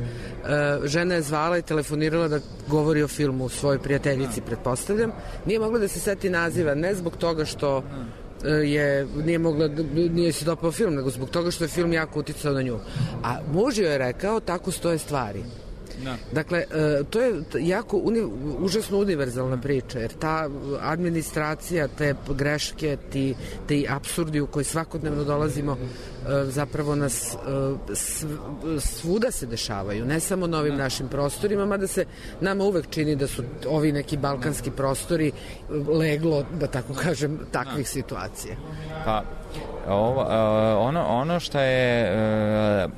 žena je zvala i telefonirala da govori o filmu svojoj prijateljici, pretpostavljam. Nije mogla da se seti naziva, ne zbog toga što je, nije mogla, nije se dopao film, nego zbog toga što je film jako uticao na nju. A muž joj je rekao, tako stoje stvari. Da. Dakle, to je jako uni, užasno univerzalna priča, jer ta administracija, te greške, ti, ti apsurdi u koji svakodnevno dolazimo, zapravo nas svuda se dešavaju, ne samo na ovim našim prostorima, mada se nama uvek čini da su ovi neki balkanski prostori leglo, da tako kažem, takvih situacija. Pa, ovo, ono, ono što je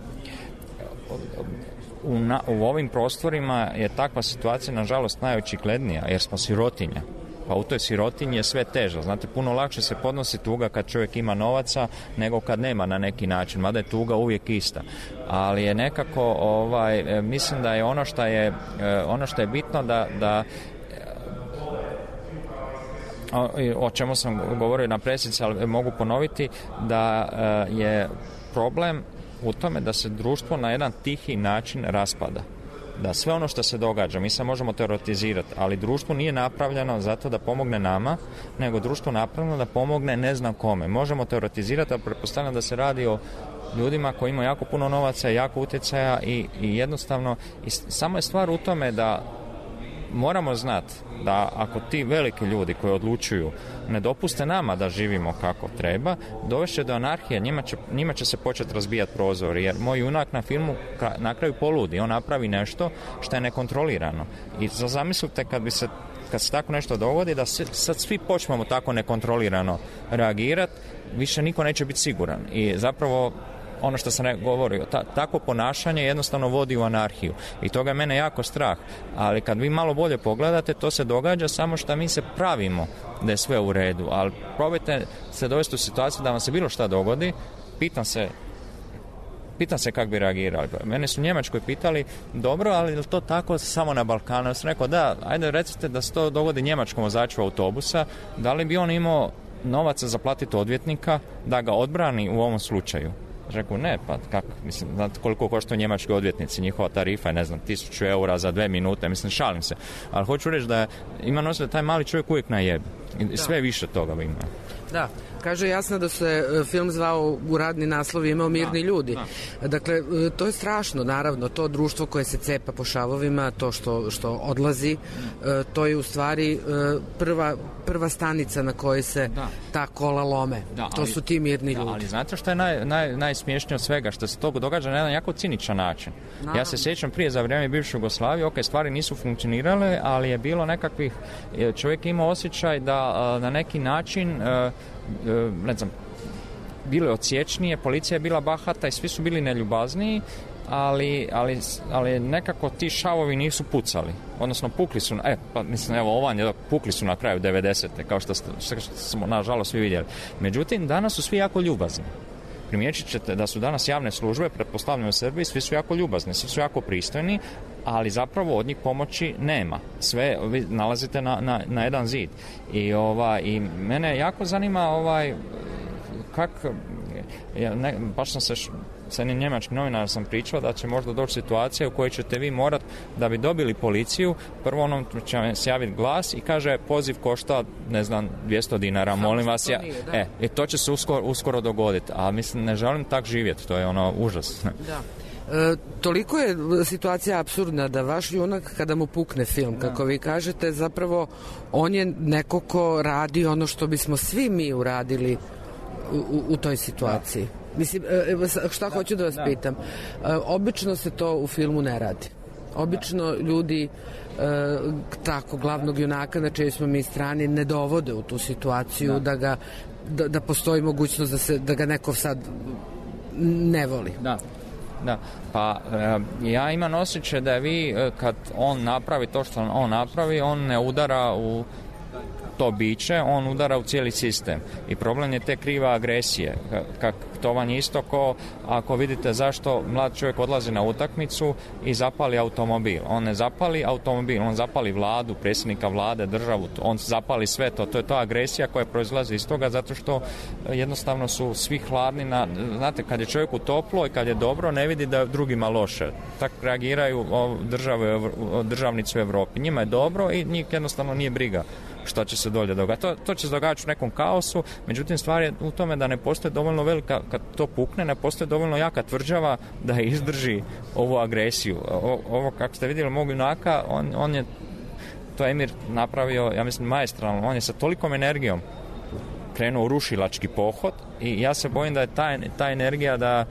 U, na, u ovim prostorima je takva situacija nažalost najočiglednija jer smo sirotinja, pa u toj sirotinji je sve teže, znate, puno lakše se podnosi tuga kad čovjek ima novaca nego kad nema na neki način, mada je tuga uvijek ista, ali je nekako ovaj, mislim da je ono što je ono što je bitno da, da o, o čemu sam govorio na presici, ali mogu ponoviti da je problem u tome da se društvo na jedan tihi način raspada. Da sve ono što se događa, mi se možemo teoretizirati, ali društvo nije napravljeno zato da pomogne nama, nego društvo napravljeno da pomogne ne znam kome. Možemo teoretizirati, ali pretpostavljam da se radi o ljudima koji imaju jako puno novaca, jako utjecaja i, i jednostavno, i samo je stvar u tome da moramo znati da ako ti veliki ljudi koji odlučuju ne dopuste nama da živimo kako treba, dovešće do anarhije, njima će, njima će se početi razbijati prozori, jer moj junak na filmu na kraju poludi, on napravi nešto što je nekontrolirano. I zamislite kad bi se kad se tako nešto dogodi, da se, sad svi počnemo tako nekontrolirano reagirati, više niko neće biti siguran. I zapravo ono što sam govorio, ta, tako ponašanje jednostavno vodi u anarhiju i toga je mene jako strah, ali kad vi malo bolje pogledate, to se događa samo što mi se pravimo da je sve u redu, ali probajte se dovesti u situaciju da vam se bilo šta dogodi, pitam se pitam se kako bi reagirali. Mene su u Njemačkoj pitali, dobro, ali je to tako samo na Balkanu? Ja sam rekao, da, ajde recite da se to dogodi njemačkom vozaču autobusa, da li bi on imao novaca za platiti odvjetnika da ga odbrani u ovom slučaju? Rekao, ne, pa kako, mislim, znate koliko koštaju njemački odvjetnici, njihova tarifa je, ne znam, tisuću eura za dve minute, mislim, šalim se, ali hoću reći da ima noć da taj mali čovjek uvijek najebi i sve više toga ima. Da, kaže jasno da se film zvao u radni naslov imao Mirni da, ljudi. Da. Dakle, to je strašno, naravno, to društvo koje se cepa po šavovima, to što, što odlazi, to je u stvari prva, prva stanica na kojoj se da. ta kola lome. Da, to ali, su ti mirni da, ljudi. Ali znate što je naj, naj, najsmiješnije od svega? Što se to događa na jedan jako ciničan način. Naravno. Ja se sjećam prije za vrijeme bivše Jugoslavije, ok, stvari nisu funkcionirale, ali je bilo nekakvih, čovjek ima osjećaj da na neki način ne znam, bilo je odsječnije, policija je bila bahata i svi su bili neljubazniji, ali, ali, ali nekako ti šavovi nisu pucali, odnosno pukli su, e, pa mislim, evo, ovan je, pukli su na kraju devedesete, kao što, što smo nažalost svi vidjeli. Međutim, danas su svi jako ljubazni. Primijetit ćete da su danas javne službe, pretpostavljam u Srbiji, svi su jako ljubazni, svi su jako pristojni, ali zapravo od njih pomoći nema. Sve vi nalazite na, na, na jedan zid. I, ova, i mene jako zanima ovaj, kak, ja, ne, baš sam se sa jednim njemačkim novinarom sam pričao da će možda doći situacija u kojoj ćete vi morat da bi dobili policiju, prvo onom će vam se javiti glas i kaže poziv košta, ne znam, dvjesto dinara, samo molim vas. Ja, nije, e, i to će se uskoro, uskoro dogoditi, a mislim, ne želim tak živjeti, to je ono užas. Da. E, toliko je situacija apsurdna da vaš junak kada mu pukne film, kako vi kažete, zapravo on je neko ko radi ono što bismo svi mi uradili u, u, u toj situaciji. Da. Mislim, šta hoću da vas pitam? Obično se to u filmu ne radi. Obično ljudi tako glavnog junaka na čijoj smo mi strani ne dovode u tu situaciju da, da ga da, da postoji mogućnost da se da ga neko sad ne voli. Da. Da, pa ja imam osjećaj da vi kad on napravi to što on napravi, on ne udara u to biće, on udara u cijeli sistem i problem je te krive agresije. Kak, to vam je isto ko ako vidite zašto mlad čovjek odlazi na utakmicu i zapali automobil. On ne zapali automobil, on zapali vladu, predsjednika vlade, državu, on zapali sve to. To je ta agresija koja proizlazi iz toga zato što jednostavno su svi hladni na, znate, kad je čovjeku toplo i kad je dobro, ne vidi da je drugima loše. Tako reagiraju države, državnici u Evropi. Njima je dobro i njih jednostavno nije briga što će se dolje događati. To, to će se događati u nekom kaosu, međutim stvar je u tome da ne postoje dovoljno velika, kad to pukne, ne postoje dovoljno jaka tvrđava da izdrži ovu agresiju. O, ovo, kako ste vidjeli mog junaka, on, on je to Emir napravio, ja mislim, maestralno, on je sa tolikom energijom krenuo u rušilački pohod i ja se bojim da je ta, ta energija da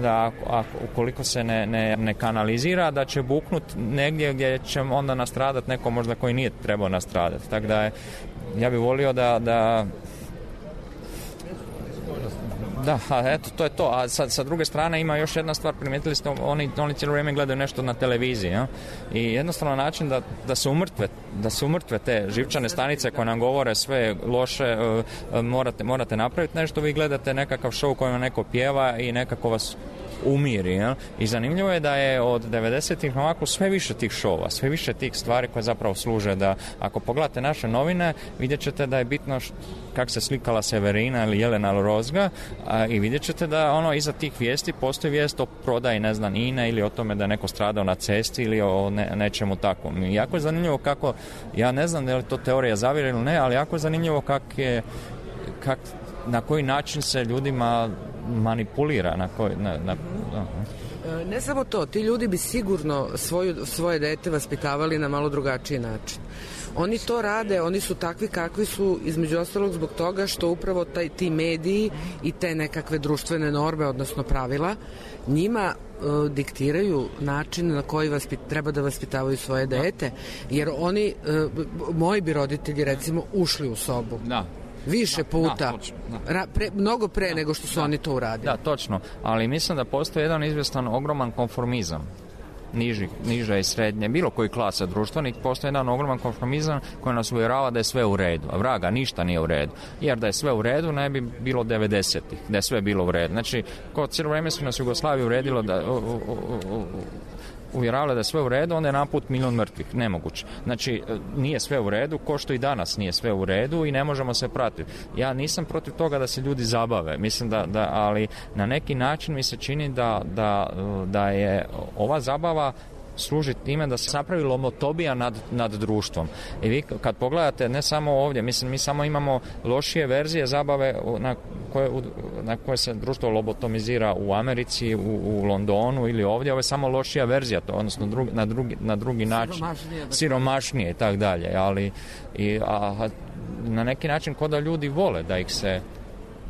da ako, ukoliko se ne, ne, ne kanalizira, da će buknut negdje gdje će onda nastradat neko možda koji nije trebao nastradati. Tako da je, ja bih volio da da Da, a eto, to je to. A sad, sa druge strane ima još jedna stvar, primijetili ste, oni, oni cijelo vrijeme gledaju nešto na televiziji, ja? I jednostavno način da, da se umrtve, da se umrtve te živčane stanice koje nam govore sve loše, uh, morate, morate napraviti nešto, vi gledate nekakav show kojima neko pjeva i nekako vas umiri, ja? I zanimljivo je da je od devedesetih ovako sve više tih šova, sve više tih stvari koje zapravo služe da, ako pogledate naše novine, vidjet ćete da je bitno kako se slikala Severina ili Jelena Rozga, a, i vidjet ćete da ono iza tih vijesti postoji vijest o prodaji, ne znam, Ine ili o tome da je neko stradao na cesti ili o ne, nečemu takvom. I jako je zanimljivo kako, ja ne znam da li to teorija zavire ili ne, ali jako je zanimljivo kak je, kak, na koji način se ljudima manipulira, na koji... Na, na, na. Ne samo to, ti ljudi bi sigurno svoju, svoje dete vaspitavali na malo drugačiji način. Oni to rade, oni su takvi kakvi su, između ostalog zbog toga što upravo taj, ti mediji i te nekakve društvene norme, odnosno pravila, njima uh, diktiraju način na koji vaspit, treba da vaspitavaju svoje dete, jer oni, uh, moji bi roditelji recimo ušli u sobu. Da. Više puta, da, točno, da. Ra, pre, mnogo pre da, nego što su da, oni to uradili. Da, točno, ali mislim da postoji jedan izvjestan ogroman konformizam niži, niža i srednje, bilo koji klasa društvenih, postoji jedan ogroman konformizam koji nas uvjerava da je sve u redu, a vraga, ništa nije u redu, jer da je sve u redu ne bi bilo devedesetih, da je sve bilo u redu. Znači, ko cijelo vrijeme su nas Jugoslaviju uredilo da... O, o, o, o, uvjeravali da je sve u redu, onda je naput milion mrtvih. Nemoguće. Znači, nije sve u redu, ko što i danas nije sve u redu i ne možemo se pratiti. Ja nisam protiv toga da se ljudi zabave, mislim da, da ali na neki način mi se čini da, da, da je ova zabava služi time da se napravi lomotobija nad, nad društvom. I vi kad pogledate, ne samo ovdje, mislim, mi samo imamo lošije verzije zabave na koje, na koje se društvo lobotomizira u Americi, u, u Londonu ili ovdje. Ovo je samo lošija verzija, to, odnosno drugi, na, drugi, na drugi način. Siromašnije. Siromašnije i tako dalje. Ali i, a, na neki način ko da ljudi vole da ih se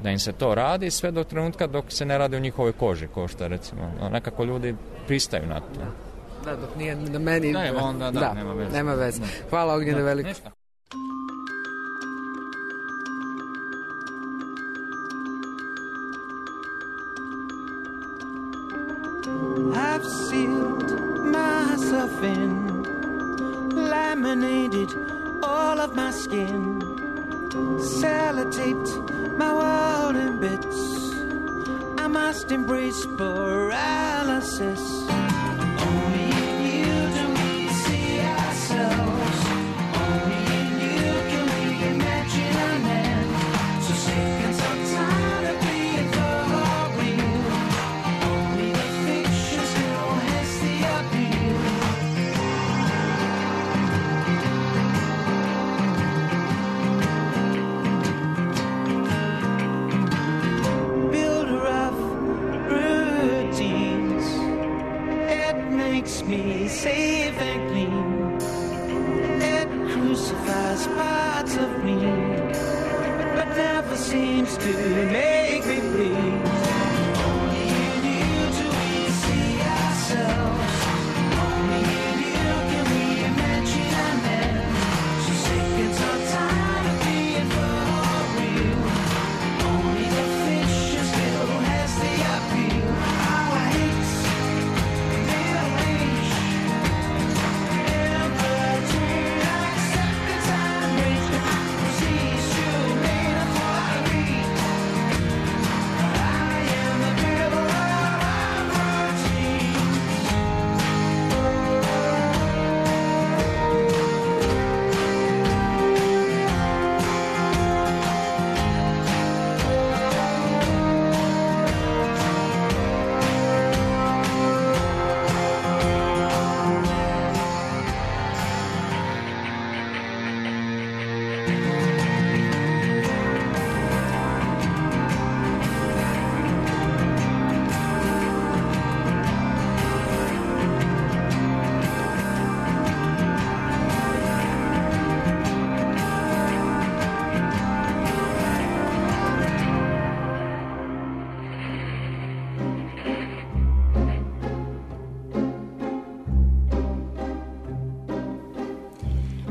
da im se to radi sve do trenutka dok se ne radi u njihovoj koži, kao što recimo. Nekako ljudi pristaju na to. Da, dok nije na meni... Da, onda, da, da, nema veze. Nema veze. Hvala, Ognjene, veliko. I've sealed myself in, laminated all of my skin, sellotaped my world in bits. I must embrace paralysis. Only in you do we see ourselves. Only in you can we imagine an end. So sick and so tired of being for real. Only the fiction still has the appeal. Builder of routines, it makes me safe and clean. It crucifies parts of me, but never seems to make me bleed. Only in you do we see ourselves. Only in you can we imagine an end. So sick and so tired of being for real. Only the fiction still has the appeal. How I hate rearrange in between like seconds and rage. Proceeds to metaphorically. I am the builder of routine.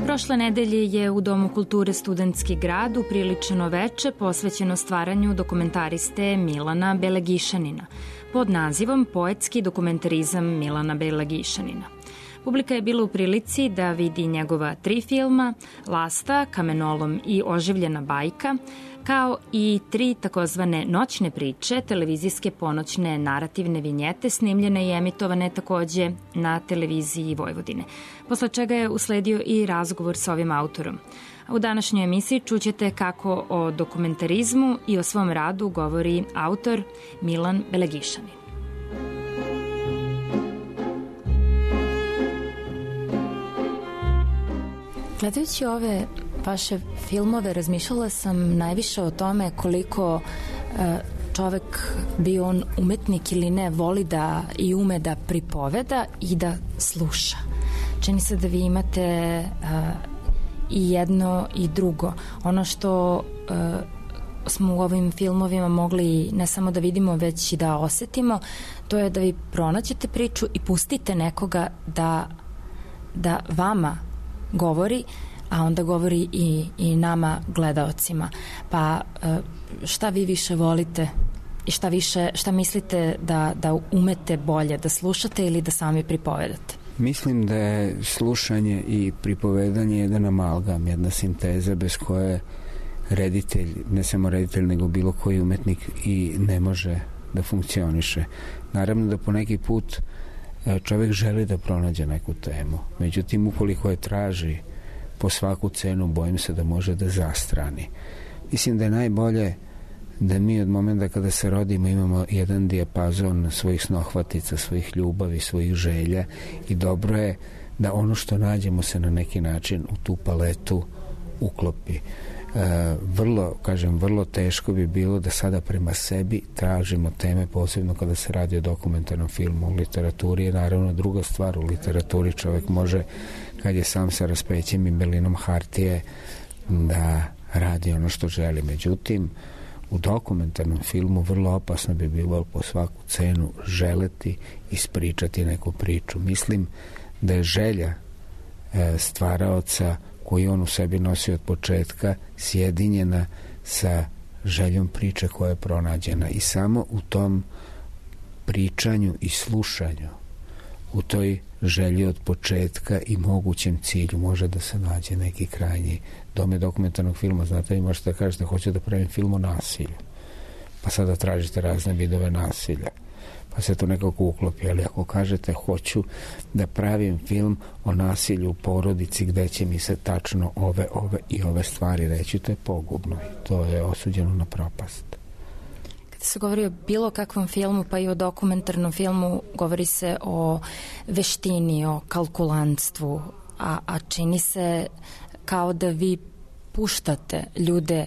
Prošle nedelje je u Domu kulture Studentski grad upriličeno veče posvećeno stvaranju dokumentariste Milana Belegišanina pod nazivom Poetski dokumentarizam Milana Belegišanina. Publika je bila u prilici da vidi njegova tri filma, Lasta, Kamenolom i Oživljena bajka, kao i tri takozvane noćne priče, televizijske ponoćne narativne vinjete, snimljene i emitovane takođe na televiziji Vojvodine, posle čega je usledio i razgovor sa ovim autorom. U današnjoj emisiji čućete kako o dokumentarizmu i o svom radu govori autor Milan Belegišanin. Gledajući ove vaše filmove, razmišljala sam najviše o tome koliko e, čovek, bio on umetnik ili ne, voli da i ume da pripoveda i da sluša. Čini se da vi imate e, i jedno i drugo. Ono što e, smo u ovim filmovima mogli ne samo da vidimo, već i da osetimo, to je da vi pronađete priču i pustite nekoga da, da vama govori, a onda govori i, i nama gledaocima. Pa šta vi više volite i šta više, šta mislite da, da umete bolje, da slušate ili da sami pripovedate? Mislim da je slušanje i pripovedanje jedan amalgam, jedna sinteza bez koje reditelj, ne samo reditelj nego bilo koji umetnik i ne može da funkcioniše. Naravno da po neki put čovjek želi da pronađe neku temu, međutim ukoliko je traži po svaku cenu, bojim se da može da zastrani. Mislim da je najbolje da mi od momenta kada se rodimo imamo jedan dijapazon svojih snohvatica, svojih ljubavi, svojih želja i dobro je da ono što nađemo se na neki način u tu paletu uklopi. E, vrlo, kažem, vrlo teško bi bilo da sada prema sebi tražimo teme, posebno kada se radi o dokumentarnom filmu. U literaturi je naravno druga stvar. U literaturi čovjek može, kad je sam sa raspećem i belinom hartije, da radi ono što želi. Međutim, u dokumentarnom filmu vrlo opasno bi bilo po svaku cenu želeti ispričati neku priču. Mislim da je želja e, stvaraoca koju on u sebi nosi od početka sjedinjena sa željom priče koja je pronađena i samo u tom pričanju i slušanju, u toj želji od početka i mogućem cilju može da se nađe neki krajnji dome dokumentarnog filma. Znate, vi možete da kažete hoću da pravim film o nasilju, pa sada tražite razne vidove nasilja, pa se to nekako uklopi, ali ako kažete hoću da pravim film o nasilju u porodici gde će mi se tačno ove, ove i ove stvari reći, to je pogubno i to je osuđeno na propast. Kada se govori o bilo kakvom filmu, pa i o dokumentarnom filmu, govori se o veštini, o kalkulantstvu, a, a čini se kao da vi puštate ljude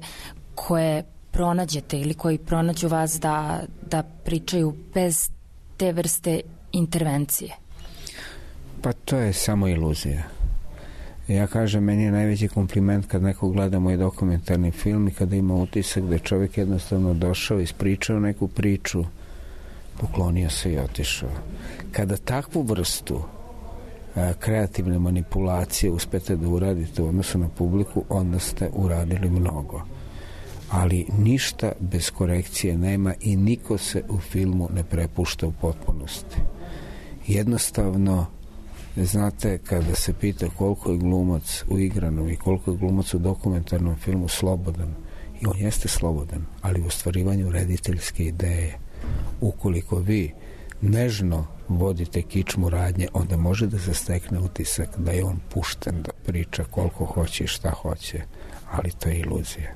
koje pronađete ili koji pronađu vas da, da pričaju bez te vrste intervencije. Pa to je samo iluzija. Ja kažem, meni je najveći kompliment kad neko gleda moj dokumentarni film i kada ima utisak da je čovjek jednostavno došao, ispričao neku priču, poklonio se i otišao. Kada takvu vrstu a, kreativne manipulacije uspete da uradite u odnosu na publiku, onda ste uradili mnogo. Ali ništa bez korekcije nema i niko se u filmu ne prepušta u potpunosti. Jednostavno, znate, kada se pita koliko je glumac u igranom i koliko je glumac u dokumentarnom filmu slobodan, i on jeste slobodan, ali u ostvarivanju rediteljske ideje, ukoliko vi nežno vodite kičmu radnje, onda može da se stekne utisak da je on pušten da priča koliko hoće i šta hoće, ali to je iluzija.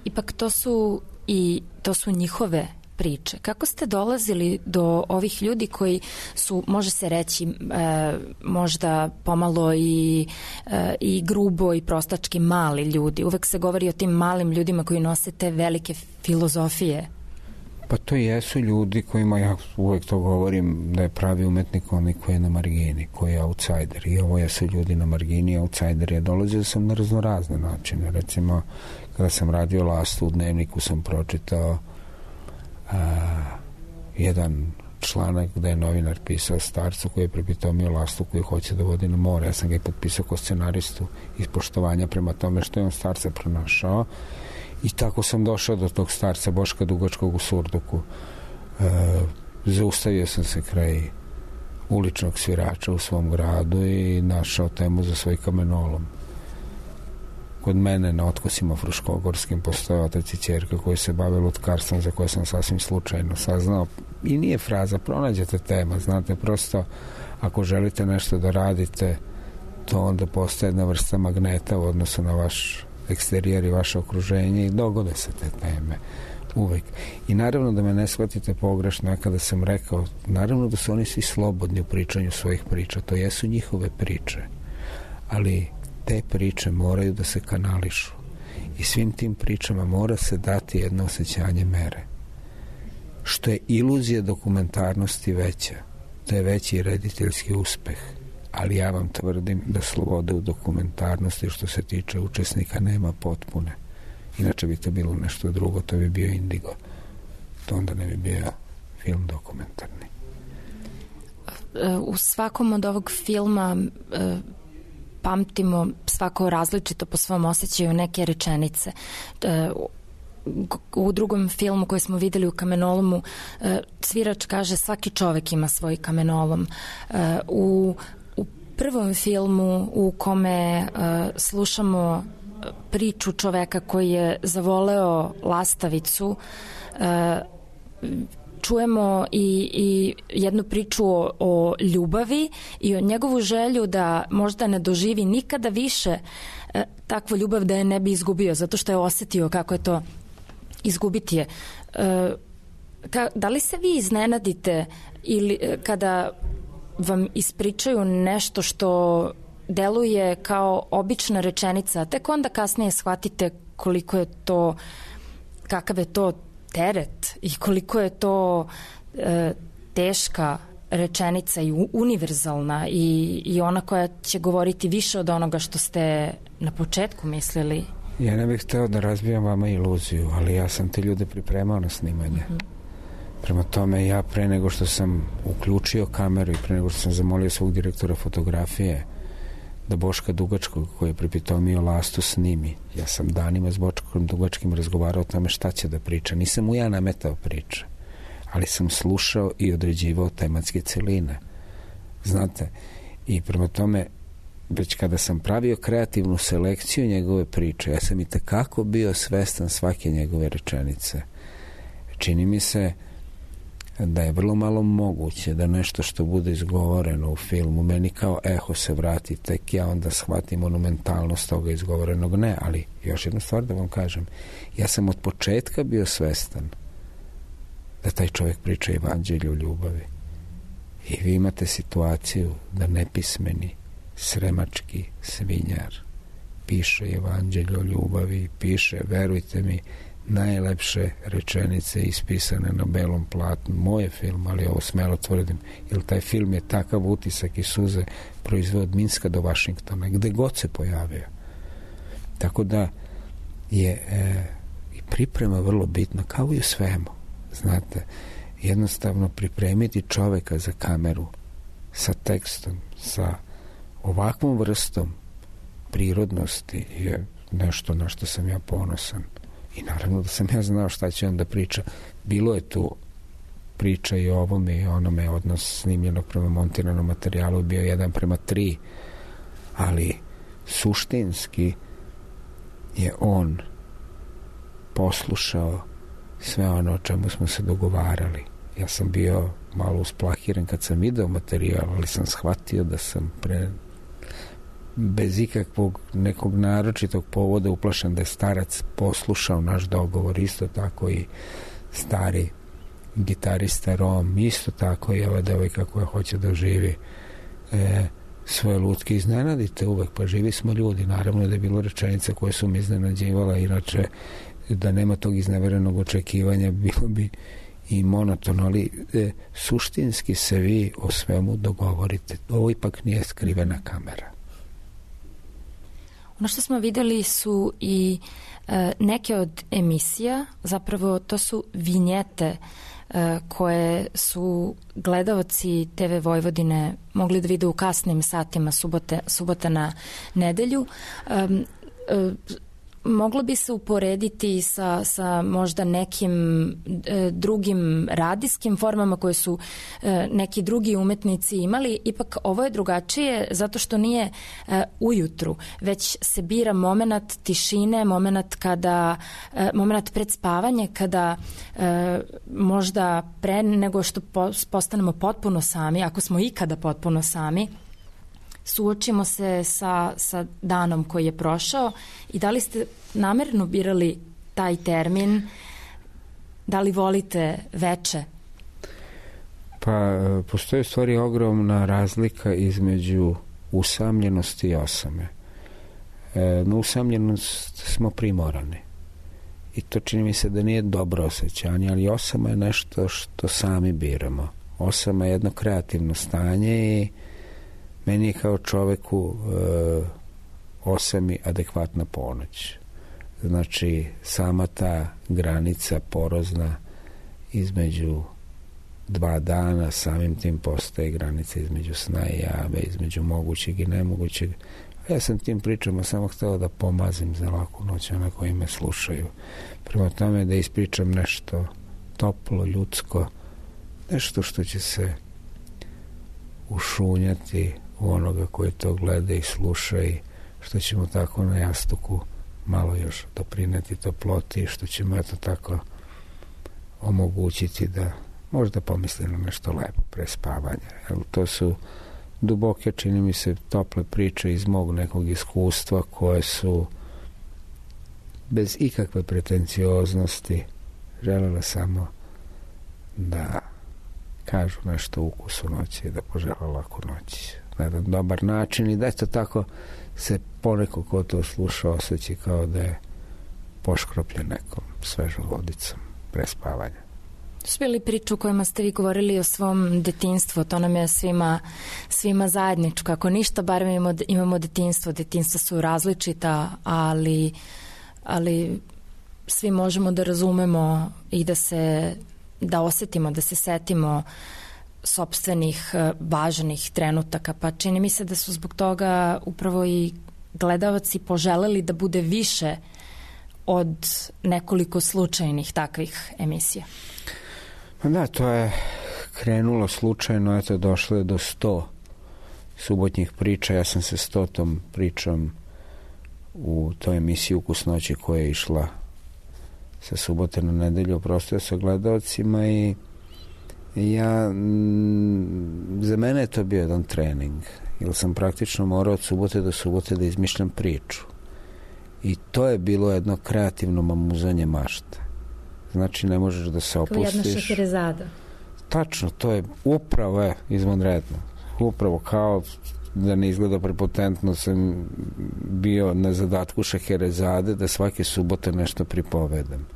Ipak to su i to su njihove priče. Kako ste dolazili do ovih ljudi koji su, može se reći, e, možda pomalo i, e, i grubo i prostački mali ljudi? Uvek se govori o tim malim ljudima koji nose te velike filozofije. Pa to jesu ljudi kojima, ja uvek to govorim, da je pravi umetnik onaj koji je na margini, koji je outsider. I ovo jesu ljudi na margini, outsider. Ja dolazio sam na raznorazne načine. Recimo, kada sam radio Lastu u Dnevniku, sam pročitao a, jedan članak gde je novinar pisao starcu koji je prepitomio Lastu koji hoće da vodi na more. Ja sam ga i potpisao kao scenaristu iz poštovanja prema tome što je on starca pronašao. I tako sam došao do tog starca Boška Dugačkog u Surduku. E, zaustavio sam se kraj uličnog svirača u svom gradu i našao temu za svoj kamenolom. Kod mene na otkosima Fruškogorskim postoje otac i ćerka koji se bave lutkarstvom, za koje sam sasvim slučajno saznao. I nije fraza, pronađete tema, znate, prosto ako želite nešto da radite, to onda postaje jedna vrsta magneta u odnosu na vaš eksterijer i vaše okruženje i dogode se te teme uvek. I naravno da me ne shvatite pogrešno, ja kada sam rekao, naravno da su oni svi slobodni u pričanju svojih priča, to jesu njihove priče, ali te priče moraju da se kanališu i svim tim pričama mora se dati jedno osjećanje mere. Što je iluzija dokumentarnosti veća, to je veći rediteljski uspeh. Ali ja vam tvrdim da slobode u dokumentarnosti što se tiče učesnika nema potpune. Inače bi to bilo nešto drugo, to bi bio indigo. To onda ne bi bio film dokumentarni. U svakom od ovog filma e, pamtimo svako različito po svom osjećaju neke rečenice. E, u drugom filmu koji smo videli u Kamenolomu, e, svirač kaže svaki čovek ima svoj kamenolom. E, u prvom filmu u kome uh, slušamo priču čoveka koji je zavoleo lastavicu, uh, čujemo i, i jednu priču o, o ljubavi i o njegovu želju da možda ne doživi nikada više uh, takvu ljubav da je ne bi izgubio, zato što je osetio kako je to izgubiti je. E, ka, da li se vi iznenadite ili kada vam ispričaju nešto što deluje kao obična rečenica, a tek onda kasnije shvatite koliko je to, kakav je to teret i koliko je to e, teška rečenica i univerzalna i, i ona koja će govoriti više od onoga što ste na početku mislili? Ja ne bih hteo da razbijam vama iluziju, ali ja sam te ljude pripremao na snimanje. Mm-hmm. Prema tome, ja pre nego što sam uključio kameru i pre nego što sam zamolio svog direktora fotografije da Boška Dugačkog, koji je pripitomio Lastu, snimi. Ja sam danima s Boškom Dugačkim razgovarao o tome šta će da priča. Nisam mu ja nametao priče, ali sam slušao i određivao tematske celine. Znate, i prema tome, već kada sam pravio kreativnu selekciju njegove priče, ja sam i tekako bio svestan svake njegove rečenice. Čini mi se da je vrlo malo moguće da nešto što bude izgovoreno u filmu meni kao eho se vrati, tek ja onda shvatim monumentalnost toga izgovorenog. Ne, ali još jednu stvar da vam kažem, ja sam od početka bio svestan da taj čovjek priča evanđelje o ljubavi. I vi imate situaciju da nepismeni sremački svinjar piše evanđelje o ljubavi, piše, verujte mi, najlepše rečenice ispisane na belom platnu. Moje film, ali ovo smelo tvrdim, jer taj film je takav utisak i suze proizveo od Minska do Vašingtona, gde god se pojavio. Tako da je e, i priprema vrlo bitna, kao i u svemu. Znate, jednostavno pripremiti čoveka za kameru sa tekstom, sa ovakvom vrstom prirodnosti je nešto na što sam ja ponosan. I naravno da sam ja znao šta će on da priča. Bilo je tu priča i o ovome i onome, odnos snimljenog prema montiranom materijalu bio jedan prema tri, ali suštinski je on poslušao sve ono o čemu smo se dogovarali. Ja sam bio malo usplahiran kad sam video materijal, ali sam shvatio da sam pre bez ikakvog nekog naročitog povoda uplašen da je starac poslušao naš dogovor. Isto tako i stari gitarista Rom, isto tako i ova devojka koja hoće da živi e, svoje lutke. Iznenadite uvek, pa živi smo ljudi. Naravno da je bilo rečenica koje su mi iznenađivala, inače da nema tog izneverenog očekivanja bilo bi i monotono, ali e, suštinski se vi o svemu dogovorite. Ovo ipak nije skrivena kamera. Ono što smo videli su i e, neke od emisija, zapravo to su vinjete e, koje su gledaoci te ve Vojvodine mogli da vide u kasnim satima subote, subota na nedelju. E, e, moglo bi se uporediti sa, sa možda nekim e, drugim radijskim formama koje su e, neki drugi umetnici imali. Ipak ovo je drugačije zato što nije e, ujutru, već se bira moment tišine, moment kada e, moment pred spavanje, kada e, možda pre nego što po, postanemo potpuno sami, ako smo ikada potpuno sami, suočimo se sa, sa danom koji je prošao. I da li ste namerno birali taj termin? Da li volite veče? Pa, postoji u stvari ogromna razlika između usamljenosti i osame. E, na usamljenost smo primorani. I to čini mi se da nije dobro osjećanje, ali osama je nešto što sami biramo. Osama je jedno kreativno stanje i meni je kao čoveku e, osami adekvatna ponoć. Znači, sama ta granica porozna između dva dana, samim tim postaje granica između sna i jave, između mogućeg i nemogućeg. A ja sam tim pričama samo hteo da pomazim za laku noć ona koji me slušaju. Prema tome da ispričam nešto toplo, ljudsko, nešto što će se ušunjati u onoga koji to gleda i sluša i što ćemo tako na jastuku malo još doprineti toploti, što ćemo eto tako omogućiti da možda pomisli na nešto lepo pre spavanja. Jer to su duboke, čini mi se, tople priče iz mog nekog iskustva koje su bez ikakve pretencioznosti, želela samo da kažu nešto o ukusu noći i da požele laku noć na jedan dobar način i da eto tako se poneko ko to sluša osjeća kao da je poškropljen nekom svežom vodicom pre spavanja. Su bili priču u kojima ste vi govorili o svom detinjstvu, to nam je svima, svima zajedničko. Ako ništa, barem imamo, imamo detinjstvo. Detinjstva su različita, ali, ali svi možemo da razumemo i da se da osetimo, da se setimo sopstvenih važnih trenutaka. Pa čini mi se da su zbog toga upravo i gledalci poželeli da bude više od nekoliko slučajnih takvih emisija. Da, to je krenulo slučajno, eto, došlo je do sto subotnjih priča. Ja sam se stotom pričom u toj emisiji Ukus noći koja je išla sa subote na nedelju oprostio sa gledalcima i ja, za mene je to bio jedan trening, jer sam praktično morao od subote do subote da izmišljam priču. I to je bilo jedno kreativno mamuzanje mašta. Znači, ne možeš da se opustiš. Kao jedna šaherezada. Tačno, to je upravo je izvanredno. Upravo kao da ne izgleda prepotentno sam bio na zadatku šaherezade da svake subote nešto pripovedam.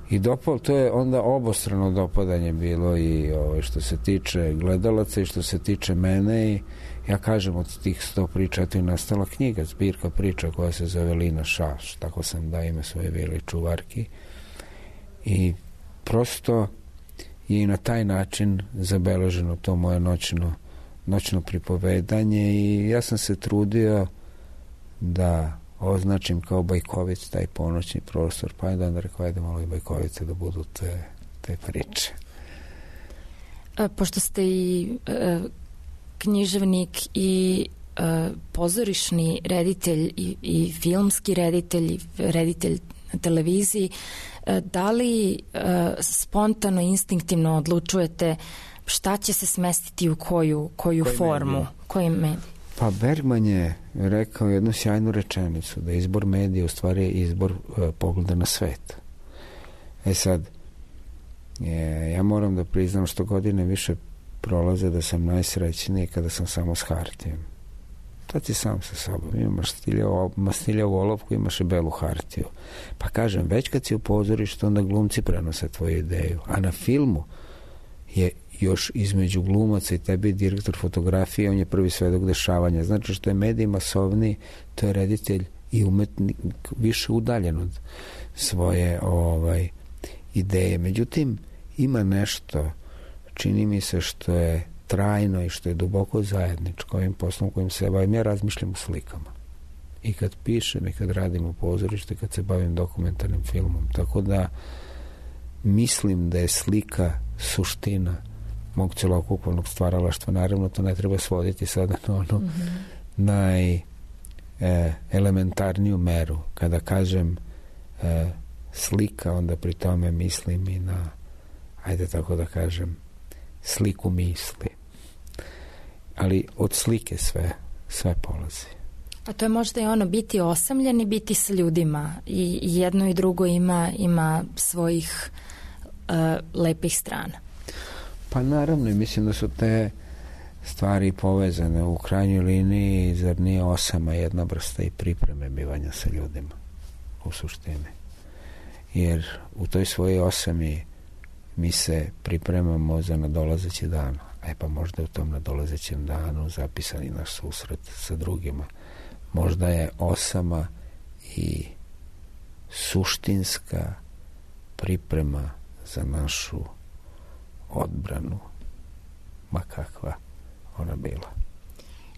I dopao, to je onda obostrano dopadanje bilo i ovaj, što se tiče gledalaca i što se tiče mene i ja kažem od tih sto priča eto je nastala knjiga, zbirka priča koja se zove Lina Šaš, tako sam da ime svoje vili čuvarki i prosto je i na taj način zabeleženo to moje noćno, noćno pripovedanje i ja sam se trudio da označim kao Bajković taj ponoćni prostor, pa je da onda rekao, ajde malo i Bajkovice da budu te, te priče. A, pošto ste i e, književnik i e, pozorišni reditelj i, i filmski reditelj i reditelj na televiziji, e, da li e, spontano, instinktivno odlučujete šta će se smestiti u koju, koju Koji formu? medij? Koji medij? Pa Bergman je rekao jednu sjajnu rečenicu, da izbor medija u stvari je izbor e, pogleda na svet. E sad, je, ja moram da priznam što godine više prolaze da sam najsrećniji kada sam samo s hartijom. To ti sam sa sobom. Imaš mastiljavu olovku, imaš i belu hartiju. Pa kažem, već kad si u pozorištu, onda glumci prenose tvoju ideju. A na filmu je još između glumaca i tebi direktor fotografije, on je prvi svedok dešavanja. Znači što je medij masovniji, to je reditelj i umetnik više udaljen od svoje ovaj, ideje. Međutim, ima nešto, čini mi se, što je trajno i što je duboko zajedničko ovim poslom kojim se bavim. Ja razmišljam u slikama. I kad pišem, i kad radim u pozorištu, i kad se bavim dokumentarnim filmom. Tako da mislim da je slika suština mog celokupnog stvaralaštva. Naravno, to ne treba svoditi sada na ono mm-hmm. naj e, elementarniju meru. Kada kažem e, slika, onda pri tome mislim i na, ajde tako da kažem, sliku misli. Ali od slike sve, sve polazi. A to je možda i ono biti osamljen i biti sa ljudima. I jedno i drugo ima, ima svojih uh, lepih strana. Pa naravno, mislim da su te stvari povezane u krajnjoj liniji, zar nije osama jedna vrsta i pripreme bivanja sa ljudima u suštini. Jer u toj svojoj osami mi se pripremamo za nadolazeći dan. E pa možda u tom nadolazećem danu zapisani naš susret sa drugima. Možda je osama i suštinska priprema za našu odbranu, ma kakva ona bila.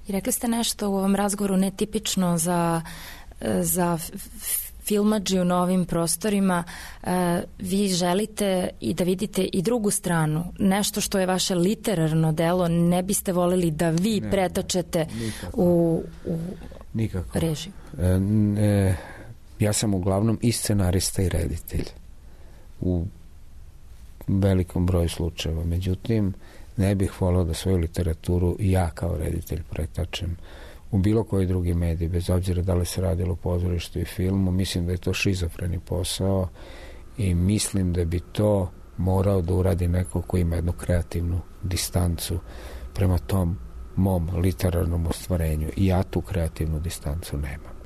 I rekli ste nešto u ovom razgovoru netipično za, za filmadži u novim prostorima. Vi želite i da vidite i drugu stranu. Nešto što je vaše literarno delo, ne biste volili da vi ne, pretačete nikako. u, u nikako. režiju. E, e, ja sam uglavnom i scenarista i reditelj. U velikom broju slučajeva. Međutim, ne bih volao da svoju literaturu ja kao reditelj pretačem u bilo koji drugi medij, bez obzira da li se radilo o pozorištu i filmu, mislim da je to šizofreni posao i mislim da bi to morao da uradi neko ko ima jednu kreativnu distancu prema tom mom literarnom ostvarenju. I ja tu kreativnu distancu nemam.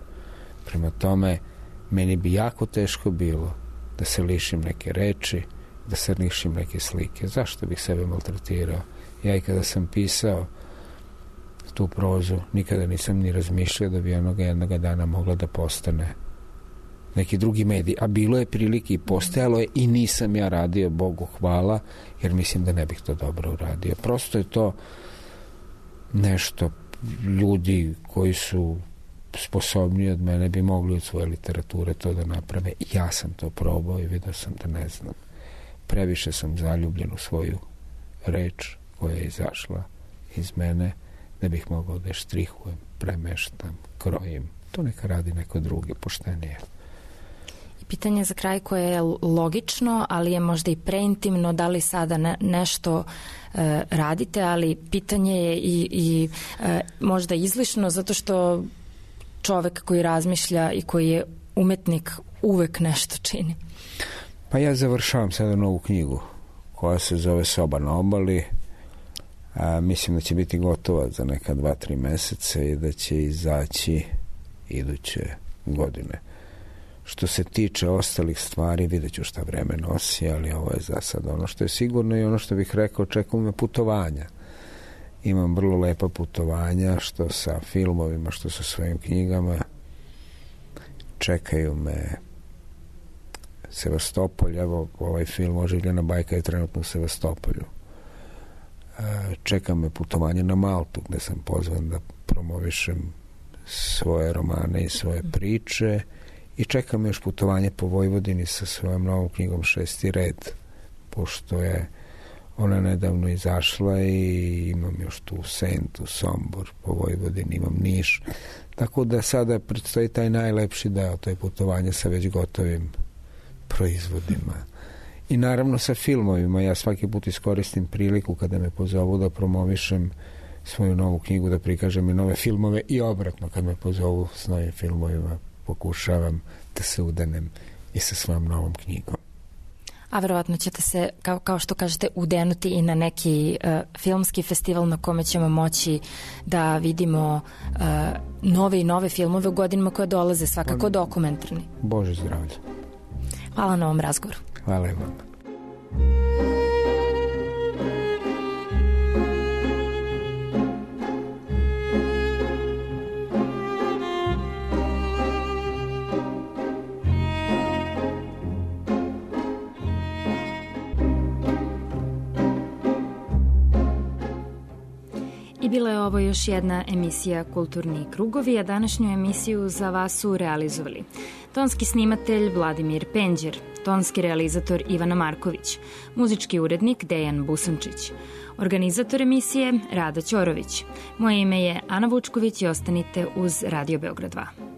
Prema tome, meni bi jako teško bilo da se lišim neke reči, da se lišim neke slike. Zašto bih sebe maltretirao? Ja i kada sam pisao tu prozu, nikada nisam ni razmišljao da bi onoga jednoga dana mogla da postane neki drugi medij. A bilo je prilike i postojalo je i nisam ja radio, Bogu hvala, jer mislim da ne bih to dobro uradio. Prosto je to nešto, ljudi koji su sposobniji od mene bi mogli od svoje literature to da naprave. Ja sam to probao i vidio sam da ne znam. Previše sam zaljubljen u svoju reč koja je izašla iz mene, da bih mogao da je štrihujem, premeštam, krojim. To neka radi neko drugi, poštenije. Pitanje za kraj koje je logično, ali je možda i preintimno, da li sada ne, nešto e, radite, ali pitanje je i, i e, možda izlišno, zato što čovek koji razmišlja i koji je umetnik uvek nešto čini. Pa ja završavam sada novu knjigu koja se zove Soba na obali. A, mislim da će biti gotova za neka dva, tri meseca i da će izaći iduće godine. Što se tiče ostalih stvari, vidjet ću šta vreme nosi, ali ovo je za sad ono što je sigurno i ono što bih rekao, čekaju me putovanja. Imam vrlo lepa putovanja, što sa filmovima, što sa svojim knjigama. Čekaju me Sevastopolj, evo ovaj film Oživljena bajka je trenutno u Sevastopolju. Čeka me putovanje na Maltu, gde sam pozvan da promovišem svoje romane i svoje priče, i čeka me još putovanje po Vojvodini sa svojom novom knjigom Šesti red, pošto je ona nedavno izašla i imam još tu Sentu, Sombor, po Vojvodini imam Niš, tako da sada predstoji taj najlepši deo, to je putovanje sa već gotovim proizvodima. I naravno sa filmovima, ja svaki put iskoristim priliku kada me pozovu da promovišem svoju novu knjigu, da prikažem i nove filmove, i obratno kad me pozovu s novim filmovima pokušavam da se udenem i sa svojom novom knjigom. A verovatno ćete se, kao, kao što kažete, udenuti i na neki uh, filmski festival na kome ćemo moći da vidimo uh, nove i nove filmove u godinama koje dolaze, svakako dokumentarni. Bože zdravlje. Hvala na ovom razgovoru. Hvala i vam. I bila je ovo još jedna emisija Kulturni krugovi, a današnju emisiju za vas su realizovali tonski snimatelj Vladimir Penđer, tonski realizator Ivana Marković, muzički urednik Dejan Busančić, organizator emisije Rada Ćorović. Moje ime je Ana Vučković i ostanite uz Radio Beograd dva.